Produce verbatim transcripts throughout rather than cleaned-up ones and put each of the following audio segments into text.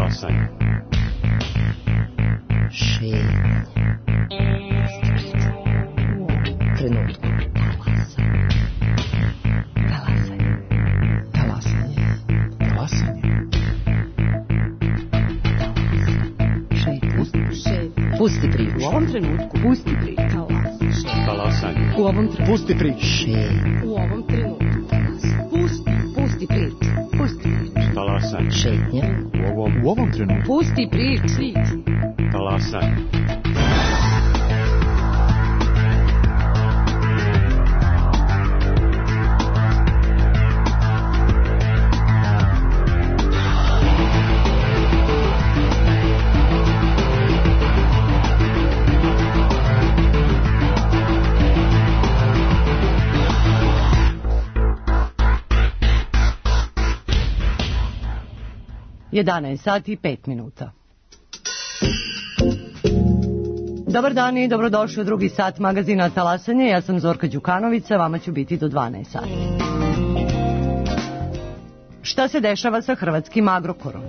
Talasanje. Šetnja. Trenutku. Talasanje. Talasanje. Talasanje. Šetnja. Pusti priču. U ovom trenutku. Pusti priču. Talasanje. U ovom trenutku. Pusti priču. Šetnja. U ovom trenutku. Pusti. Pusti priču. Pusti priču. Talasanje. Šetnja. U ovom, u ovom trenutku. Pusti priču. Talasanje. jedanaest sati i pet minuta. Dobar dan i dobrodošli u drugi sat magazina Talasanje. Ja sam Zorka Đukanovića, vama ću biti do dvanaest sati. Šta se dešava sa hrvatskim Agrokorom?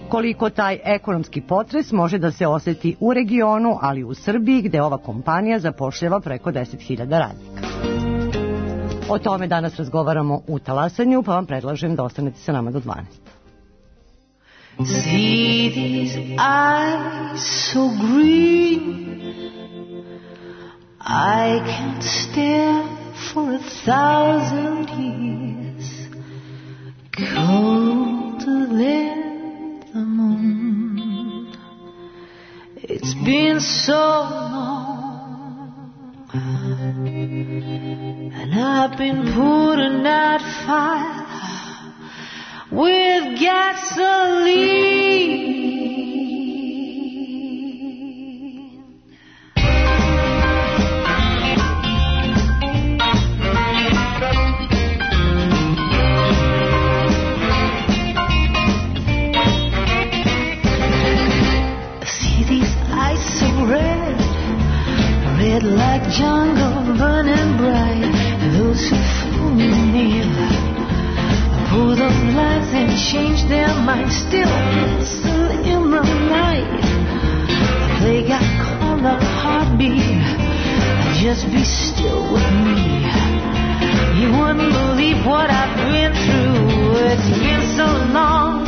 Koliko taj ekonomski potres može da se oseti u regionu, ali i u Srbiji, gde ova kompanija zapošljava preko deset hiljada radnika. O tome danas razgovaramo u Talasanju, pa vam predlažem da ostanete sa nama do dvanaest. See these eyes so green, I can't stare for a thousand years, colder than the moon. It's been so long, and I've been putting out fire with gasoline. See these eyes so red, red like jungle burning bright. Those who fool me, pull the blinds and change their minds. Still listen in the night. They got caught up heartbeat. Just be still with me. You wouldn't believe what I've been through. It's been so long.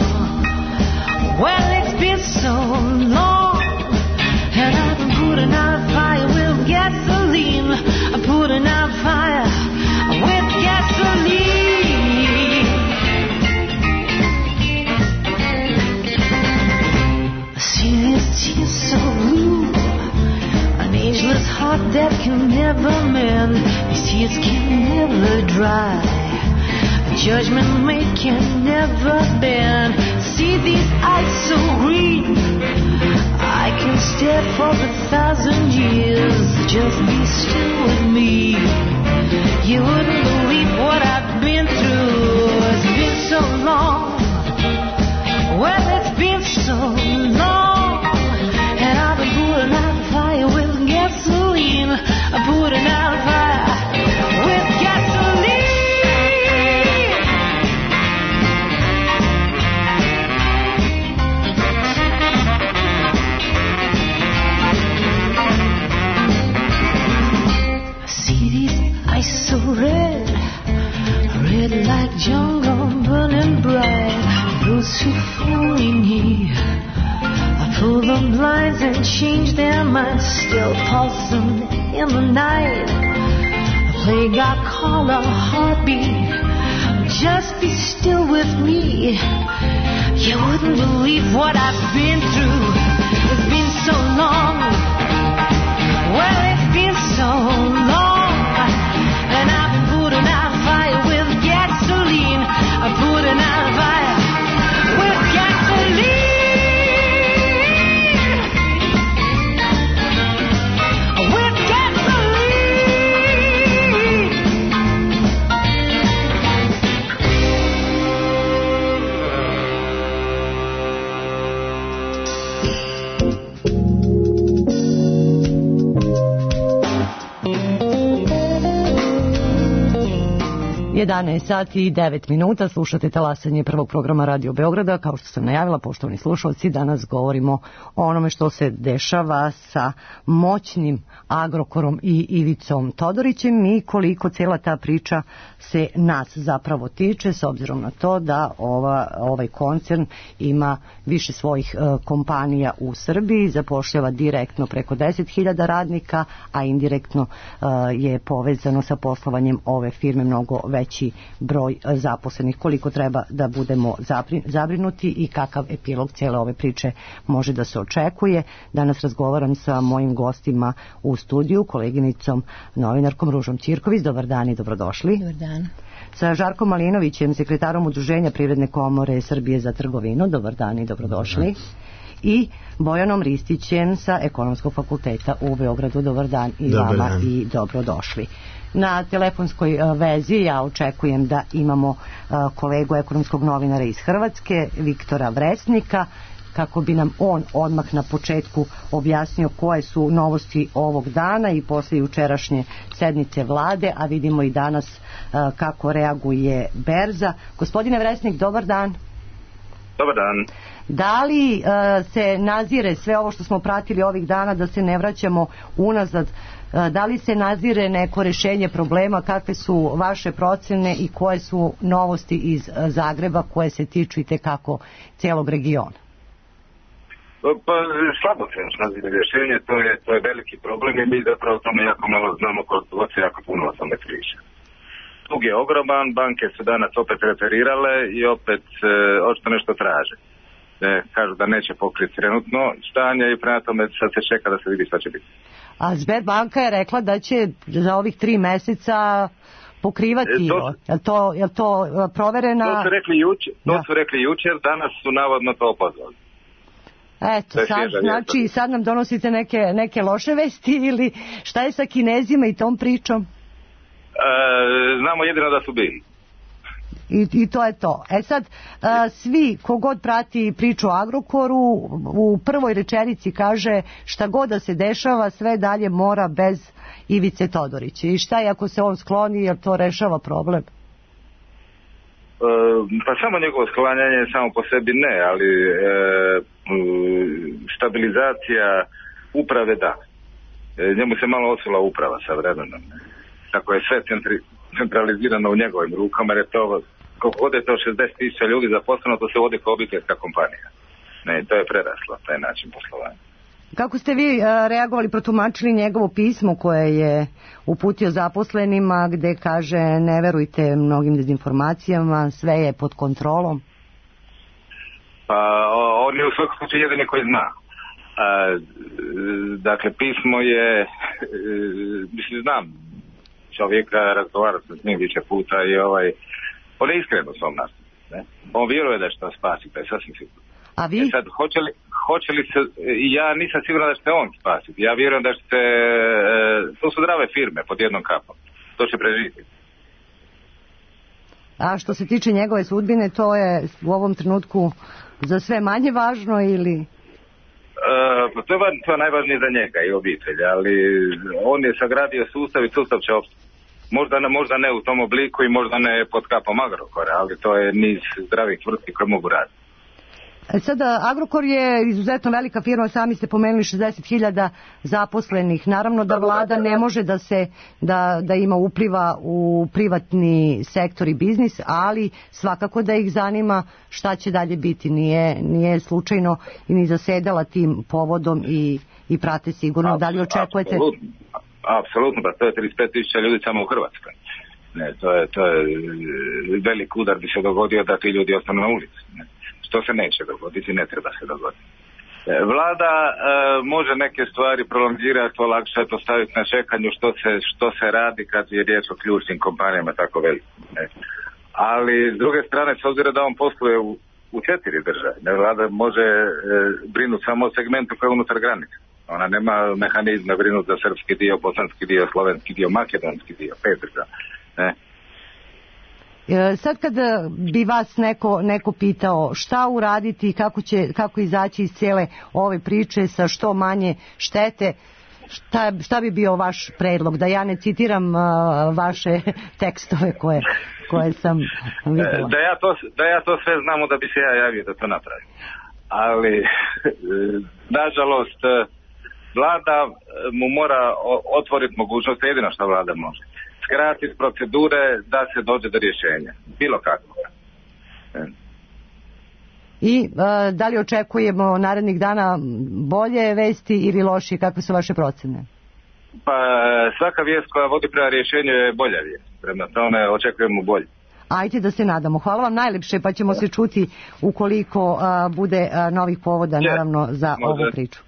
Well, it's been so long. And I've been putting out fire with gasoline. I'm putting out fire with gasoline. See this tear so blue, an ageless heart that can never mend. These tears can never dry, a judgment made can never bend. See these eyes so green, I can stare for a thousand years. Just be still with me. You wouldn't believe what I've been through. It's been so long. Well, it's been so long, and I've been putting out fire with gasoline. I'm putting out fire with gasoline. See these eyes so red, red like jungle burning bright. Those who fool me, I pull the blinds and change their minds. Still pulsing in the night. A plague I call a heartbeat. Just be still with me. You wouldn't believe what I've been through. It's been so long. Well, it's been so long. And I've been putting out fire with gasoline. I'm putting out fire with gasoline. With gasoline. jedanaest sati i devet minuta, slušate talasanje prvog programa Radio Beograda. Kao što sam najavila, poštovani slušalci, danas govorimo o onome što se dešava sa moćnim Agrokorom i Ivicom Todorićem i koliko cijela ta priča se nas zapravo tiče, s obzirom na to da ova, ovaj koncern ima više svojih e, kompanija u Srbiji, zapošljava direktno preko deset hiljada radnika, a indirektno e, je povezano sa poslovanjem ove firme mnogo veći broj zaposlenih. Koliko treba da budemo zabrinuti i kakav epilog cijele ove priče može da se očekuje. Danas razgovaram sa mojim gostima u studiju, koleginicom novinarkom Ružom Ćirković. Dobar dan i dobrodošli. Dobar dan. Sa Žarkom Malinovićem, sekretarom Udruženja Privredne komore Srbije za trgovinu. Dobar dan i dobrodošli. I Bojanom Ristićem sa Ekonomskog fakulteta u Beogradu. Dobar dan i Dobar vama dan. i dobrodošli. Na telefonskoj vezi ja očekujem da imamo kolegu ekonomskog novinara iz Hrvatske, Viktora Vresnika, kako bi nam on odmah na početku objasnio koje su novosti ovog dana i posle jučerašnje sednice vlade, a vidimo i danas kako reaguje berza. Gospodine Vresnik, dobar dan. Dobar dan. Da li uh, se nazire sve ovo što smo pratili ovih dana, da se ne vraćamo unazad, uh, da li se nazire neko rešenje problema, kakve su vaše procene i koje su novosti iz uh, Zagreba koje se tiču i tekako cijelog regiona? Pa slabo se nazire rješenje, to je, to je veliki problem i mi zapravo o tome jako malo znamo, koliko se jako puno o tome priča. Dug je ogroman, banke su danas opet referirale i opet e, očito nešto traže. E, kažu da neće pokriti trenutno stanje i prema tome sad se čeka da se vidi šta će biti. A Sberbanka je rekla da će za ovih tri meseca pokrivati. E, to, je to, je to proverena? To su rekli jučer, to da. su rekli jučer, danas su navodno to opozvali. Eto, sad, znači sad nam donosite neke, neke loše vesti ili šta je sa Kinezima i tom pričom? E, znamo jedino da su bili. I, I to je to. E sad, a, svi, kogod prati priču o Agrokoru, u prvoj rečenici kaže šta god da se dešava, sve dalje mora bez Ivice Todorića. I šta je ako se on skloni, jer to rešava problem? E, pa samo njegovo sklanjanje samo po sebi ne, ali e, stabilizacija uprave da. E, njemu se malo osula uprava sa vremenom. Tako je sve centri, centralizirano u njegovim rukama, jer je to, koliko god je to šezdeset tisuća ljudi zaposleno, to se vodi kao obiteljska kompanija. Ne, to je preraslo, taj način poslovanja. Kako ste vi a, reagovali, protumačili njegovo pismo koje je uputio zaposlenima, gde kaže ne verujte mnogim dezinformacijama, sve je pod kontrolom? Pa, on je u svakom slučaju jedini koji zna. A, dakle, pismo je, mislim, znam čovjeka, razgovarao sam s njim više puta i ovaj, on je iskren u svom nastupu. Ne? On vjeruje da će to spasiti, to je sasvim sigurno. A vi? E sad, hoće li, hoće li se, ja nisam siguran da će on spasiti. Ja vjerujem da će se, to su zdrave firme pod jednom kapom. To će preživjeti. A što se tiče njegove sudbine, to je u ovom trenutku za sve manje važno ili... Uh, to, je, to je najvažnije za njega i obitelj, ali on je sagradio sustav i sustav će opstati. Možda, možda ne u tom obliku i možda ne pod kapom Agrokora, ali to je niz zdravih tvrtki koje mogu raditi. Sada, Agrokor je izuzetno velika firma, sami ste pomenuli šezdeset hiljada zaposlenih. Naravno da vlada ne može da se da, da ima upliva u privatni sektor i biznis, ali svakako da ih zanima šta će dalje biti. Nije, nije slučajno i ni zasedala tim povodom i, i prate sigurno. Da li očekujete? Apsolutno, apsolutno, pa to je trideset pet tisuća ljudi samo u Hrvatskoj. Ne, to je, to je velik udar bi se dogodio da ti ljudi ostanu na ulici. Ne. Što se neće dogoditi, ne treba se dogoditi. Vlada e, može neke stvari prolongirati, olakšati, ostaviti na čekanju što se, što se radi kad je riječ o ključnim kompanijama tako veliko. Ali s druge strane, s obzirom da on posluje u, u četiri države, ne, vlada može e, brinuti samo o segmentu koji je unutar granica. Ona nema mehanizma brinuti za srpski dio, bosanski dio, slovenski dio, makedonski dio, pet država. Ne. Sad kad bi vas neko, neko pitao šta uraditi i kako, će, kako izaći iz cijele ove priče sa što manje štete, šta, šta bi bio vaš predlog? Da ja ne citiram uh, vaše tekstove koje, koje sam vidjela. Da ja, to, da ja to sve znamo da bi se ja javio da to napravim. Ali, nažalost, vlada mu mora otvoriti mogućnost, jedino što vlada može. Skratiti procedure da se dođe do rješenja. Bilo kako. I uh, da li očekujemo narednih dana bolje vesti ili lošije? Kakve su vaše procene? Pa svaka vijest koja vodi prema rješenju je bolja vijest. Prema tome očekujemo bolje. Ajde da se nadamo. Hvala vam najljepše, pa ćemo se čuti ukoliko uh, bude uh, novih povoda, Je, naravno, za može. ovu priču.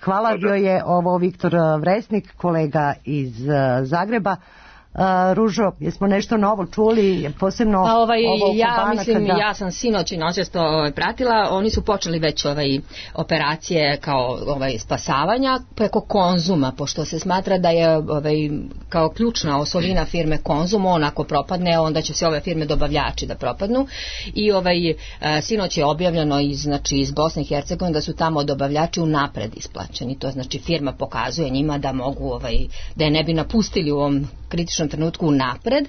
Hvala, Može. bio je ovo Viktor Vresnik, kolega iz uh, Zagreba. Uh, Ružo, jesmo nešto novo čuli, posebno Pa ovaj, ovo oko ja banaka, mislim, da... ja sam sinoć i noćas to ovaj, pratila, oni su počeli već ovaj, operacije kao ovaj, spasavanja preko Konzuma, pošto se smatra da je ovaj, kao ključna osovina firme Konzum, on ako propadne, onda će se ove firme dobavljači da propadnu i ovaj, sinoć je objavljeno iz, znači, iz Bosne i Hercegovine da su tamo dobavljači unapred isplaćeni, to znači firma pokazuje njima da mogu, ovaj, da je ne bi napustili u ovom kritičnom trenutku unapred,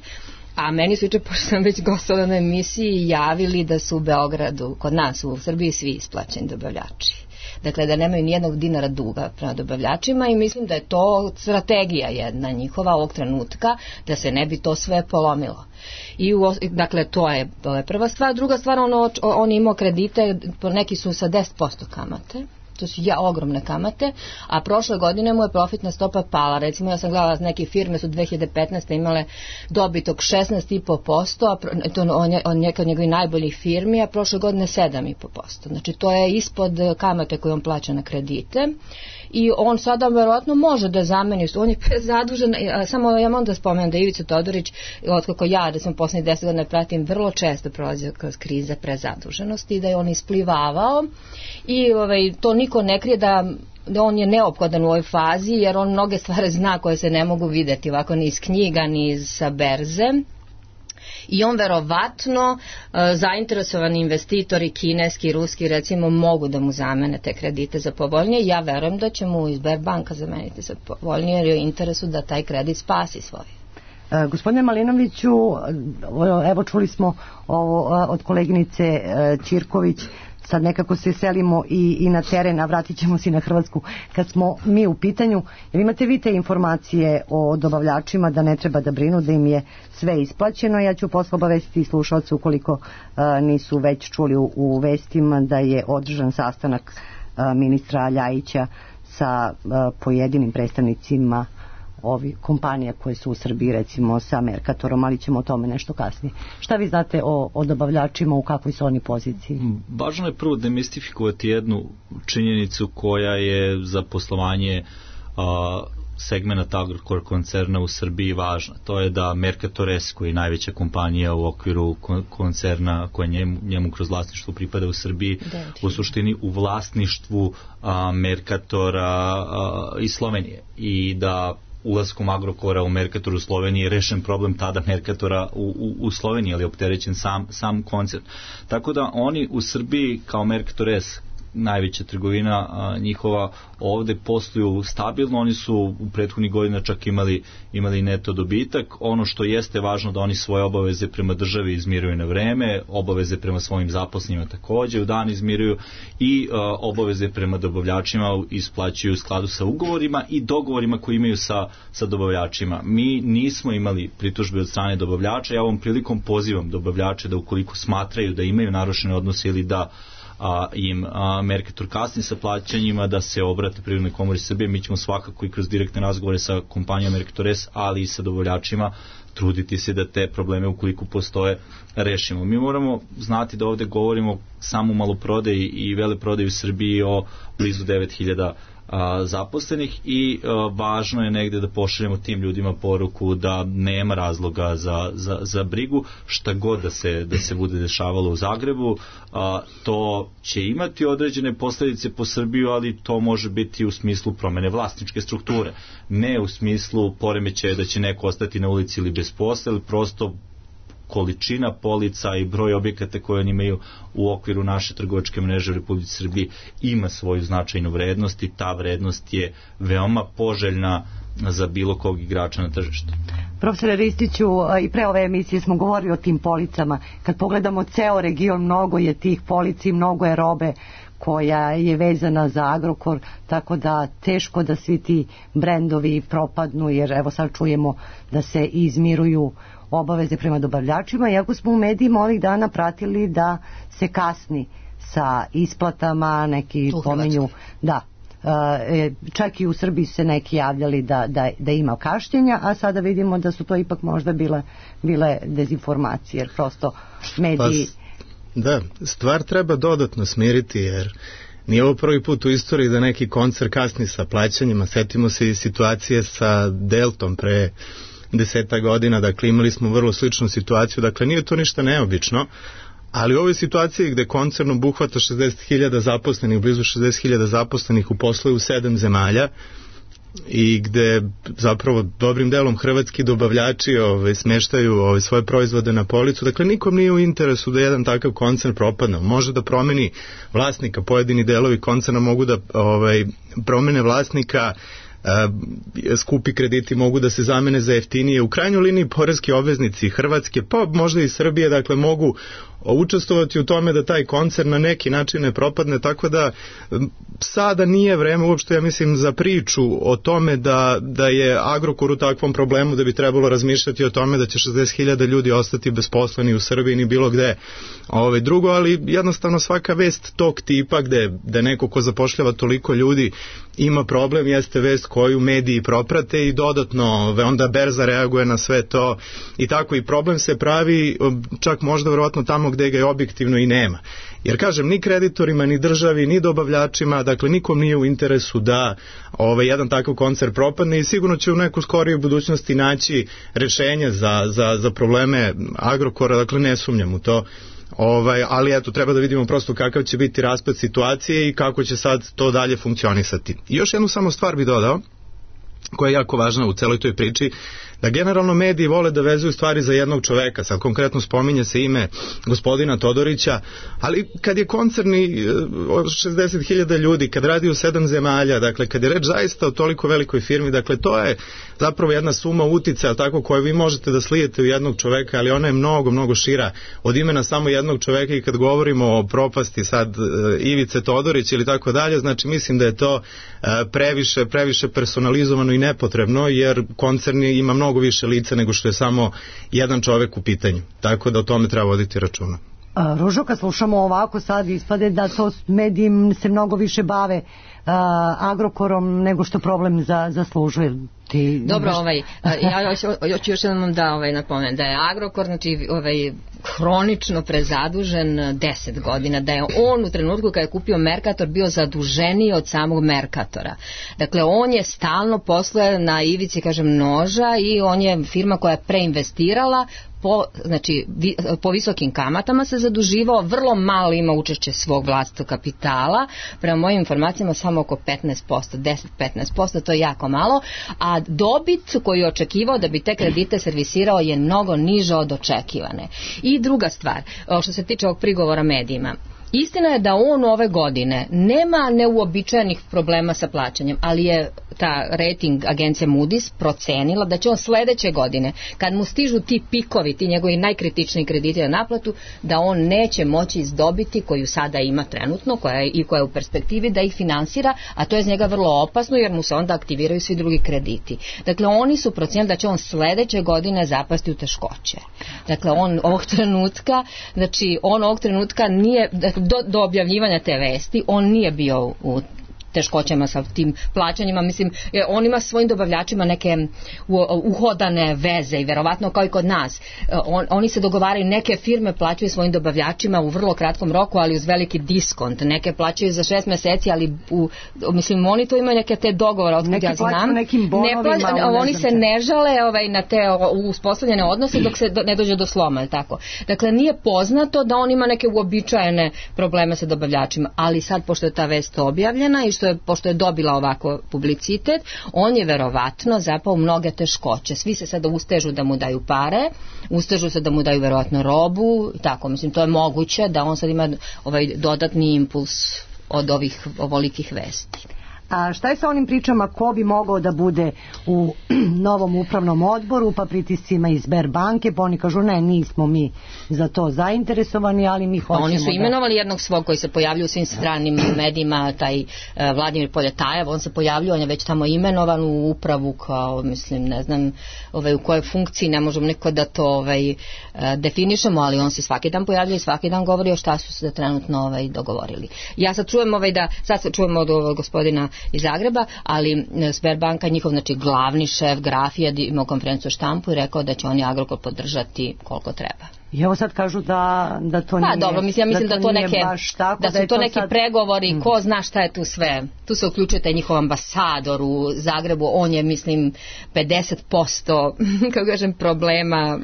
a meni su juče, pošto sam već gostovala na emisiji, javili da su u Beogradu, kod nas u Srbiji, svi isplaćeni dobavljači. Dakle, da nemaju nijednog dinara duga prema dobavljačima i mislim da je to strategija jedna njihova ovog trenutka, da se ne bi to sve polomilo. I u, dakle, to je, to je prva stvar. Druga stvar, ono, on imao kredite, neki su sa deset posto kamate, to su ja ogromne kamate, a prošle godine mu je profitna stopa pala. Recimo, ja sam gledala, neke firme su dve hiljade petnaeste imale dobit od šesnaest zarez pet posto, a to on je on neka od njegovih najboljih firmi, a prošle godine sedam zarez pet posto. Znači, to je ispod kamate koje on plaća na kredite. I on sada verovatno može da zameni, on je prezadužen, samo ja moram da spomenem da Ivica Todorić, otkako ja, da sam poslednjih deset godina pratim, vrlo često prolazio kroz krize prezaduženosti i da je on isplivavao i ovaj, to niko ne krije da da on je neophodan u ovoj fazi, jer on mnoge stvari zna koje se ne mogu videti ovako ni iz knjiga, ni iz sa berze. I on verovatno e, zainteresovani investitori, kineski, ruski recimo, mogu da mu zamene te kredite za povoljnije. Ja verujem da će mu Sberbanka zameniti za povoljnije, jer je u interesu da taj kredit spasi svoj. E, gospodine Malinoviću, evo čuli smo ovo od koleginice e, Ćirković, sad nekako se selimo i, i na teren, a vratit ćemo se na Hrvatsku kad smo mi u pitanju. Jer imate vi te informacije o dobavljačima da ne treba da brinu, da im je sve isplaćeno. Ja ću posle obavestiti slušalce ukoliko a, nisu već čuli u, u vestima da je održan sastanak a, ministra Ljajića sa a, pojedinim predstavnicima ovi kompanija koje su u Srbiji, recimo sa Mercatorom, ali ćemo o tome nešto kasnije. Šta vi znate o, o dobavljačima, u kakvoj su oni poziciji? Važno je prvo demistifikovati jednu činjenicu koja je za poslovanje a, segmenta Agrokor koncerna u Srbiji važna. To je da Mercator S, koji je najveća kompanija u okviru koncerna koja njemu, njemu kroz vlasništvo pripada u Srbiji, u suštini u vlasništvu a, Mercatora a, iz Slovenije. I da ulaskom Agrokora u Mercator u Sloveniji je rešen problem tada Mercatora u, u, u Sloveniji, ali je opterećen sam, sam koncern. Tako da oni u Srbiji kao Mercator S, najveća trgovina a, njihova, ovde posluju stabilno. Oni su u prethodnih godina čak imali, imali neto dobitak. Ono što jeste važno da oni svoje obaveze prema državi izmiruju na vreme, obaveze prema svojim zaposlenima takođe u dan izmiruju i a, obaveze prema dobavljačima isplaćuju u skladu sa ugovorima i dogovorima koji imaju sa, sa dobavljačima. Mi nismo imali pritužbe od strane dobavljača. Ja ovom prilikom pozivam dobavljače da ukoliko smatraju da imaju narušene odnose ili da a, im a, Mercator kasni sa plaćanjima, da se obrate Privrednoj komori Srbije. Mi ćemo svakako i kroz direktne razgovore sa kompanijom Mercator S, ali i sa dobavljačima truditi se da te probleme, ukoliko postoje, rešimo. Mi moramo znati da ovde govorimo samo o maloprodaji i veleprodaji u Srbiji o blizu devet hiljada a, zaposlenih i a, važno je negde da pošaljemo tim ljudima poruku da nema razloga za, za, za brigu, šta god da se, da se bude dešavalo u Zagrebu. A, to će imati određene posledice po Srbiju, ali to može biti u smislu promene vlasničke strukture, ne u smislu poremećaja da će neko ostati na ulici ili bez posla, ili prosto količina polica i broj objekata koje oni imaju u okviru naše trgovačke mreže u Republici Srbiji ima svoju značajnu vrednost i ta vrednost je veoma poželjna za bilo kog igrača na tržištu. Profesore Ristiću, i pre ove emisije smo govorili o tim policama. Kad pogledamo ceo region, mnogo je tih polici, mnogo je robe koja je vezana za Agrokor, tako da teško da svi ti brendovi propadnu, jer evo sad čujemo da se izmiruju obaveze prema dobavljačima, iako smo u medijima ovih dana pratili da se kasni sa isplatama, neki pominju, da, e, čak i u Srbiji se neki javljali da, da, da ima kašnjenja, a sada vidimo da su to ipak možda bile, bile dezinformacije, jer prosto mediji... Pa, da, stvar treba dodatno smiriti, jer nije ovo prvi put u istoriji da neki koncern kasni sa plaćanjima. Setimo se i situacije sa Deltom pre deseta godina, dakle imali smo vrlo sličnu situaciju, dakle nije to ništa neobično, ali u ovoj situaciji gde koncern obuhvata šezdeset hiljada zaposlenih, blizu šezdeset hiljada zaposlenih u poslu u sedam zemalja i gde zapravo dobrim delom hrvatski dobavljači ove, smeštaju ove, svoje proizvode na policu, dakle nikom nije u interesu da jedan takav koncern propadne. Može da promeni vlasnika, pojedini delovi koncerna mogu da ovaj, promene vlasnika, skupi krediti mogu da se zamene za jeftinije. U krajnjoj liniji poreski obveznici Hrvatske, pa možda i Srbije, dakle mogu učestvovati u tome da taj koncern na neki način ne propadne, tako da sada nije vreme uopšte, ja mislim, za priču o tome da, da je Agrokor u takvom problemu, da bi trebalo razmišljati o tome da će šezdeset hiljada ljudi ostati besposleni u Srbiji ni bilo gde ove, drugo, ali jednostavno svaka vest tog tipa gde, gde neko ko zapošljava toliko ljudi ima problem, jeste vest koju mediji proprate i dodatno ove, onda berza reaguje na sve to i tako i problem se pravi čak možda verovatno tamo gde ga je objektivno i nema. Jer kažem, ni kreditorima, ni državi, ni dobavljačima, dakle nikom nije u interesu da ovaj, jedan takav koncern propadne i sigurno će u neku skorijoj budućnosti naći rešenje za, za, za probleme Agrokora, dakle ne sumnjam u to. Ovaj, ali eto, treba da vidimo prosto kakav će biti raspad situacije i kako će sad to dalje funkcionisati. I još jednu samo stvar bi dodao, koja je jako važna u celoj toj priči, da generalno mediji vole da vezuju stvari za jednog čoveka, sad konkretno spominje se ime gospodina Todorića, ali kad je koncerni šezdeset hiljada ljudi, kad radi u sedam zemalja, dakle kad je reč zaista o toliko velikoj firmi, dakle to je zapravo jedna suma uticaja tako koju vi možete da slijete u jednog čoveka, ali ona je mnogo, mnogo šira od imena samo jednog čoveka i kad govorimo o propasti sad Ivice Todorić ili tako dalje, znači mislim da je to previše, previše personalizovano i nepotrebno, jer koncerni ima mnogo više lica nego što je samo jedan čovek u pitanju. Tako da o tome treba voditi računa. Ružo, kad slušamo ovako sad ispade da to mediji se mnogo više bave a, Agrokorom nego što problem za, zaslužuje. Ti, Dobro, baš... ovaj, ja hoću još jednom da ovaj, napomenem da je Agrokor znači, ovaj, hronično prezadužen deset godina, da je on u trenutku kada je kupio Mercator bio zaduženiji od samog Mercatora. Dakle, on je stalno posluje na ivici, kažem, noža i on je firma koja je preinvestirala po, znači, vi, po visokim kamatama se zaduživao, vrlo malo ima učešće svog vlastitog kapitala, prema mojim informacijama samo oko petnaest posto, deset do petnaest posto, to je jako malo, a dobit koju je očekivao da bi te kredite servisirao je mnogo niža od očekivane. I druga stvar, što se tiče ovog prigovora medijima, istina je da on ove godine nema neuobičajenih problema sa plaćanjem, ali je ta rating agencija Moody's procenila da će on sledeće godine, kad mu stižu ti pikovi, ti njegovi najkritičniji krediti na naplatu, da on neće moći izdobiti koju sada ima trenutno, koja je, i koja je u perspektivi da ih finansira, a to je z njega vrlo opasno jer mu se onda aktiviraju svi drugi krediti. Dakle, oni su procenili da će on sledeće godine zapasti u teškoće. Dakle, on ovog trenutka, znači on ovog trenutka nije, do, do objavljivanja te vesti, on nije bio u teškoćama sa tim plaćanjima, mislim, on ima svojim dobavljačima neke uhodane veze i verovatno kao i kod nas. On, oni se dogovaraju, neke firme plaćaju svojim dobavljačima u vrlo kratkom roku, ali uz veliki diskont, neke plaćaju za šest meseci, ali u, mislim, oni to imaju neke te dogovore, otkud ja znam. Nekim bonovima, ne plaća, oni se ne žale ovaj, na te uspostavljene odnose dok se do, ne dođe do sloma, tako. Dakle, nije poznato da on ima neke uobičajene probleme sa dobavljačima, ali sad, pošto je ta vest objavljena i što što je, pošto je dobila ovako publicitet, on je verovatno zapao u mnoge teškoće. Svi se sada ustežu da mu daju pare, ustežu se da mu daju verovatno robu, tako, mislim, to je moguće da on sad ima ovaj dodatni impuls od ovih ovolikih vesti. A šta je sa onim pričama ko bi mogao da bude u novom upravnom odboru, pa pritiscima iz Sberbanke, pa oni kažu ne, nismo mi za to zainteresovani, ali mi hoćemo. Oni su da... imenovali jednog svog koji se pojavljuje u svim stranim medijima, taj uh, Vladimir Poljetajev, on se pojavljuje, on je već tamo imenovan u upravu kao, mislim, ne znam ovaj, u kojoj funkciji, ne možemo neko da to ovaj, uh, definišemo, ali on se svaki dan pojavljuje i svaki dan govori o šta su se trenutno ovaj, dogovorili. Ja sad čujem ovaj, da, sad se čujemo od ovog gospodina iz Zagreba, ali Sberbanka, njihov znači glavni šef Grafija imao konferenciju štampu i rekao da će oni Agrokor podržati koliko treba. I evo sad kažu da, da to nije... Pa dobro, mislim, ja mislim da, da to neke, tako, da su da to, to neki sad... pregovori, mm. ko zna šta je tu sve. Tu se uključuje taj njihov ambasador u Zagrebu, on je, mislim, pedeset posto kako kažem, problema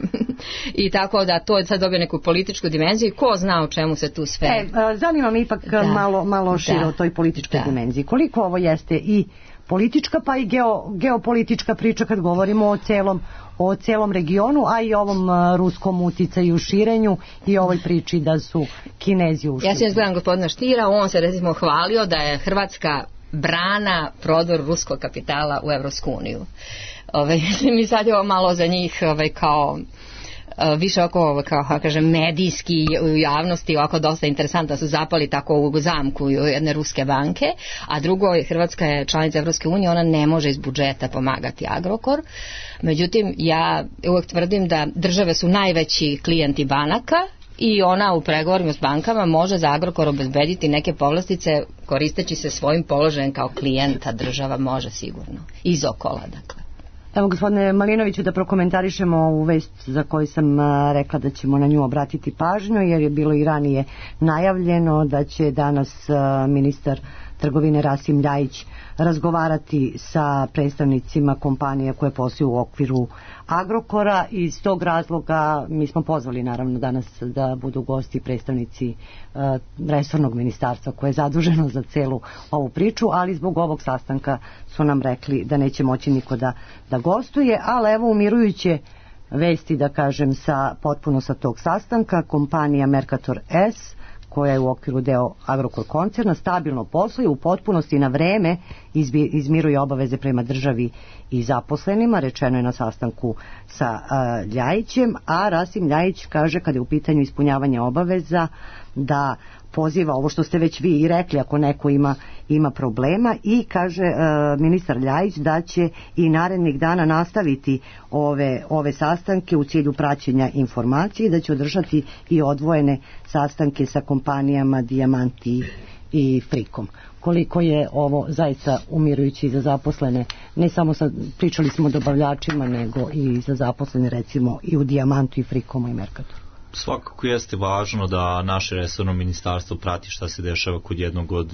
i tako da to je sad dobio neku političku dimenziju i ko zna o čemu se tu sve... E, zanima me ipak da. malo, malo šire o toj političkoj da. dimenziji. Koliko ovo jeste i politička pa i geo, geopolitička priča kad govorimo o celom o celom regionu, a i ovom uh, ruskom uticaju u širenju i ovoj priči da su Kinezi ušli. Ja sam gledam gospodina Štira, on se recimo hvalio da je Hrvatska brana prodor ruskog kapitala u Evropsku uniju. Ove, mi sad je ovo malo za njih ove, kao više oko, kao kažem, medijski u javnosti ovako dosta interesantno da su zapali tako u zamku jedne ruske banke, a drugo, Hrvatska je članica Evropske unije, ona ne može iz budžeta pomagati Agrokor. Međutim, ja uvek tvrdim da države su najveći klijenti banaka i ona u pregovorima s bankama može za Agrokor obezbediti neke povlastice koristeći se svojim položajem kao klijenta, država može sigurno. Iz okola, dakle. Evo, gospodine Malinoviću, da prokomentarišemo ovu vest za koju sam a, rekla da ćemo na nju obratiti pažnju, jer je bilo i ranije najavljeno da će danas a, ministar trgovine Rasim Ljajić razgovarati sa predstavnicima kompanija koje posluju u okviru Agrokora. Iz tog razloga mi smo pozvali naravno danas da budu gosti predstavnici uh, resornog ministarstva koje je zaduženo za celu ovu priču, ali zbog ovog sastanka su nam rekli da neće moći niko da, da gostuje, ali evo umirujuće vesti, da kažem, sa, potpuno sa tog sastanka. Kompanija Mercator S, koja je u okviru deo Agrokor koncerna, stabilno posluje, u potpunosti na vreme izmiruje obaveze prema državi i zaposlenima, rečeno je na sastanku sa uh, Ljajićem, a Rasim Ljajić kaže kada je u pitanju ispunjavanje obaveza da poziva ovo što ste već vi i rekli ako neko ima, ima problema i kaže uh, ministar Ljajić da će i narednih dana nastaviti ove, ove sastanke u cilju praćenja informacije i da će održati i odvojene sastanke sa kompanijama Dijamant i, i Frikom. Koliko je ovo zaista umirujući za zaposlene, ne samo sa, pričali smo o dobavljačima, nego i za zaposlene recimo i u Dijamantu i Frikomu i Mercatoru. Svakako jeste važno da naše resorno ministarstvo prati šta se dešava kod jednog od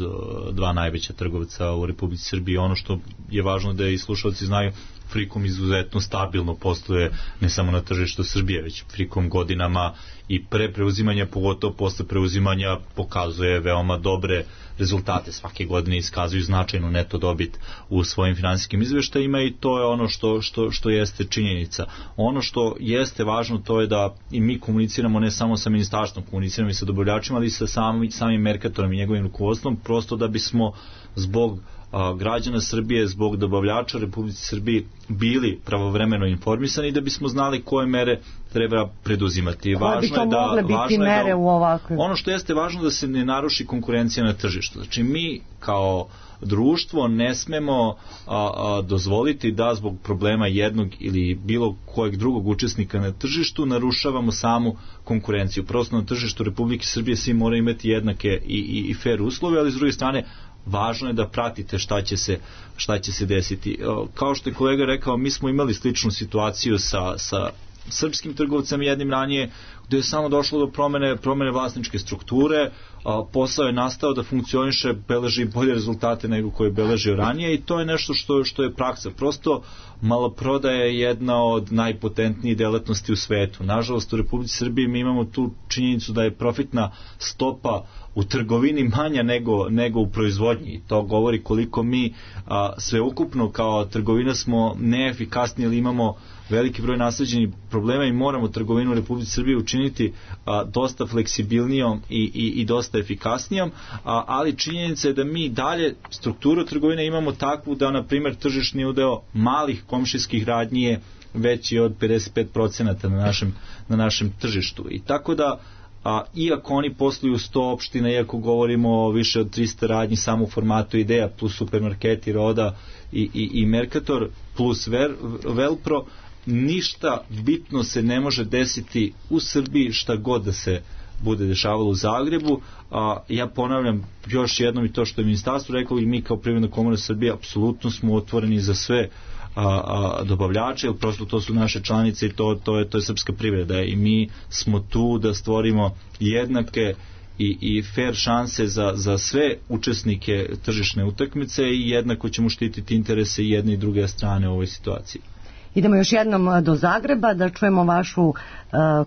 dva najveća trgovca u Republici Srbiji. Ono što je važno da i slušalci znaju, Frikom izuzetno stabilno posluje ne samo na tržištu Srbije, već Frikom godinama i pre preuzimanja, pogotovo posle preuzimanja, pokazuje veoma dobre rezultate. Svake godine iskazuju značajnu neto dobit u svojim finansijskim izveštajima i to je ono što, što, što jeste činjenica. Ono što jeste važno to je da i mi komuniciramo ne samo sa ministarstvom, komuniciramo i sa dobavljačima, ali i sa samim, samim Mercatorom i njegovim rukovodstvom, prosto da bismo zbog građana Srbije, zbog dobavljača Republici Srbiji bili pravovremeno informisani i da bismo znali koje mere treba preduzimati. Koje bi to mogle biti mere u ovakvim? Ono što jeste važno da se ne naruši konkurencija na tržištu. Znači mi kao društvo ne smemo a, a, dozvoliti da zbog problema jednog ili bilo kojeg drugog učesnika na tržištu narušavamo samu konkurenciju. Prosto na tržištu Republike Srbije svi moraju imati jednake i, i, i fair uslove, ali s druge strane važno je da pratite šta će se, šta će se desiti. Kao što je kolega rekao, mi smo imali sličnu situaciju sa, sa srpskim trgovcem jednim ranije, gde je samo došlo do promene, promene vlasničke strukture, a, posao je nastao da funkcioniše, beleži bolje rezultate nego koje je beležio ranije i to je nešto što, što je praksa. Prosto maloprodaja je jedna od najpotentnijih delatnosti u svetu. Nažalost, u Republici Srbiji mi imamo tu činjenicu da je profitna stopa u trgovini manja nego, nego u proizvodnji. To govori koliko mi a, sveukupno kao trgovina smo neefikasni ili imamo veliki broj nasleđenih problema i moramo trgovinu u Republici Srbiji učiniti a, dosta fleksibilnijom i, i, i dosta efikasnijom, a, ali činjenica je da mi dalje strukturu trgovine imamo takvu da, na primjer, tržišni udeo malih komšijskih radnji je veći od pedeset pet procenata na našem, na našem tržištu. I tako da a, iako oni posluju sto opština, iako govorimo o više od trista radnji samo u formatu Ideja plus supermarketi Roda i, i, i Mercator plus Ver, Velpro, ništa bitno se ne može desiti u Srbiji šta god da se bude dešavalo u Zagrebu. A, ja ponavljam još jednom i to što je ministarstvo reklo i mi kao Privredna komora Srbije apsolutno smo otvoreni za sve a, a, dobavljače, jer prosto to su naše članice i to, to, je, to je srpska privreda i mi smo tu da stvorimo jednake i, i fair šanse za, za sve učesnike tržišne utakmice i jednako ćemo štititi interese i jedne i druge strane u ovoj situaciji. Idemo još jednom do Zagreba da čujemo vašu uh,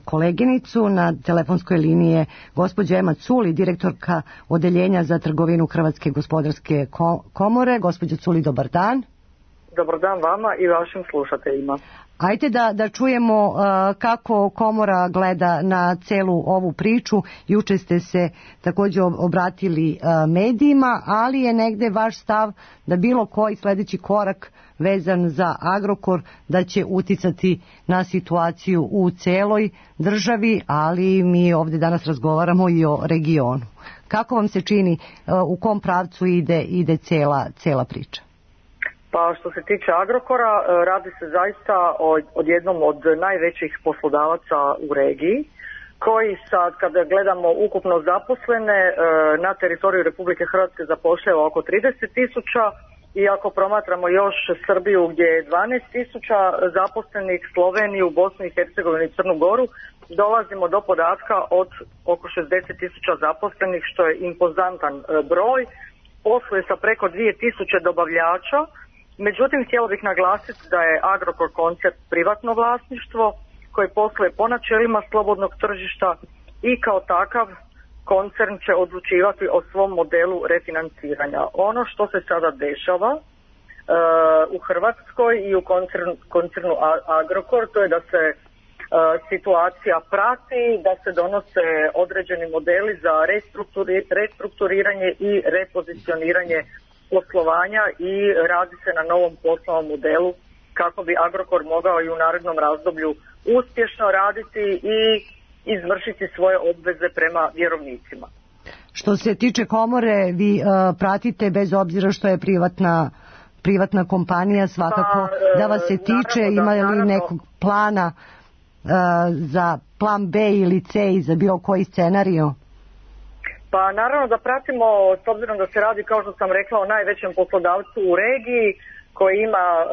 koleginicu na telefonskoj liniji je gospođa Ema Culi, direktorka odeljenja za trgovinu Hrvatske gospodarske komore. Gospođa Culi, dobar dan. Dobar dan vama i vašim slušateljima. Ajde da, da čujemo uh, kako komora gleda na celu ovu priču. Juče ste se također obratili uh, medijima, ali je negde vaš stav da bilo koji sledeći korak vezan za Agrokor da će uticati na situaciju u celoj državi, ali mi ovdje danas razgovaramo i o regionu. Kako vam se čini, uh, u kom pravcu ide, ide cela, cela priča? Pa što se tiče Agrokora, radi se zaista o, od jednom od najvećih poslodavaca u regiji, koji sad, kada gledamo ukupno zaposlene, na teritoriju Republike Hrvatske zapošljava oko trideset tisuća i ako promatramo još Srbiju gdje je dvanaest tisuća zaposlenih, Sloveniju, Bosnu i Hercegovinu i Crnu Goru, dolazimo do podatka od oko šezdeset tisuća zaposlenih, što je impozantan broj. Posluje sa preko dvije tisuće dobavljača. Međutim, htjela bih naglasiti da je Agrokor koncept privatno vlasništvo koje posluje po načelima slobodnog tržišta i kao takav koncern će odlučivati o svom modelu refinanciranja. Ono što se sada dešava e, u Hrvatskoj i u koncern, koncernu Agrokor, to je da se e, situacija prati, da se donose određeni modeli za restrukturi, restrukturiranje i repozicioniranje poslovanja i radi se na novom poslovnom modelu kako bi Agrokor mogao i u narednom razdoblju uspješno raditi i izvršiti svoje obveze prema vjerovnicima. Što se tiče komore, vi uh, pratite bez obzira što je privatna privatna kompanija, svakako pa, da vas se tiče, naravno, ima li naravno, nekog plana uh, za plan B ili C i za bilo koji scenariju? Pa naravno da pratimo, s obzirom da se radi, kao što sam rekla, o najvećem poslodavcu u regiji koji ima uh,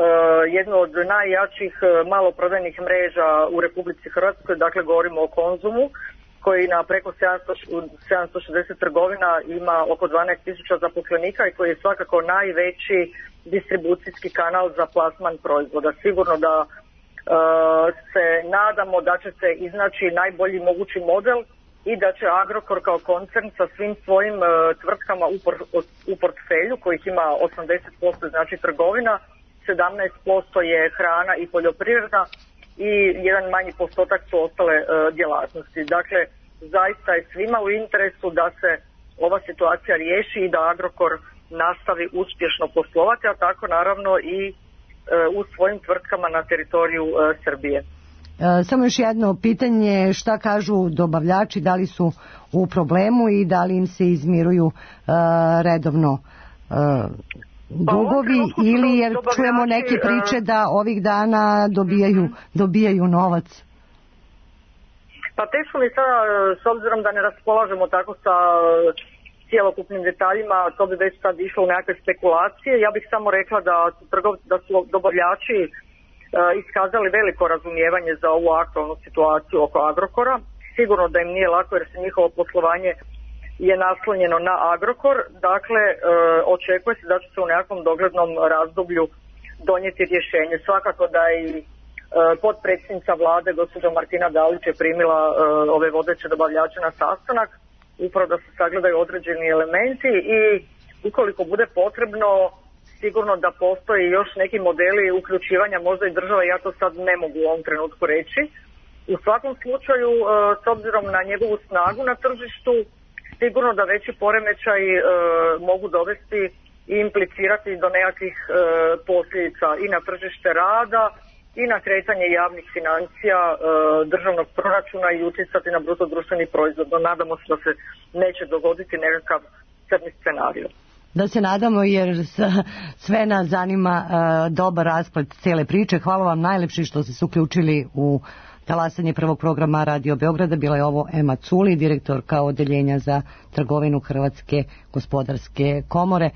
jednu od najjačih uh, maloprodajnih mreža u Republici Hrvatskoj, dakle govorimo o Konzumu, koji na preko sedamsto šezdeset trgovina ima oko dvanaest tisuća zaposlenika i koji je svakako najveći distribucijski kanal za plasman proizvoda. Sigurno da uh, se nadamo da će se iznaći najbolji mogući model i da će Agrokor kao koncern sa svim svojim uh, tvrtkama u, por, u portfelju, kojih ima osamdeset posto znači trgovina, sedamnaest posto je hrana i poljoprivreda i jedan manji postotak su ostale uh, djelatnosti. Dakle, zaista je svima u interesu da se ova situacija riješi i da Agrokor nastavi uspješno poslovati, a tako naravno i uh, u svojim tvrtkama na teritoriju uh, Srbije. Samo još jedno pitanje, šta kažu dobavljači, da li su u problemu i da li im se izmiruju uh, redovno uh, dugovi pa, ili jer čujemo neke priče da ovih dana dobijaju, dobijaju novac? Pa teško mi sada, s obzirom da ne raspolažemo tako sa cijelokupnim detaljima, to bi već sad išlo u nekakve spekulacije. Ja bih samo rekla da su, trgov, da su dobavljači iskazali veliko razumijevanje za ovu aktualnu situaciju oko Agrokora sigurno da im nije lako jer se njihovo poslovanje je naslonjeno na Agrokor. Dakle, e, očekuje se da će se u nekakvom doglednom razdoblju donijeti rješenje. Svakako da i e, potpredsjednica vlade, gospođa Martina Dalić, je primila e, ove vodeće dobavljače na sastanak, upravo da se sagledaju određeni elementi i ukoliko bude potrebno, sigurno da postoji još neki modeli uključivanja možda i država, ja to sad ne mogu u ovom trenutku reći. U svakom slučaju, e, s obzirom na njegovu snagu na tržištu, sigurno da veći poremećaj e, mogu dovesti i implicirati do nekakvih e, posljedica i na tržište rada i na kretanje javnih financija, e, državnog proračuna i utjecati na bruto društveni proizvod. No, nadamo se da se neće dogoditi nekakav crni scenarij. Da se nadamo, jer sve nas zanima uh, dobar rasplet cijele priče. Hvala vam najlepše što ste se uključili u talasanje prvog programa Radio Beograda. Bila je ovo Ema Culi, direktorka odeljenja za trgovinu Hrvatske gospodarske komore.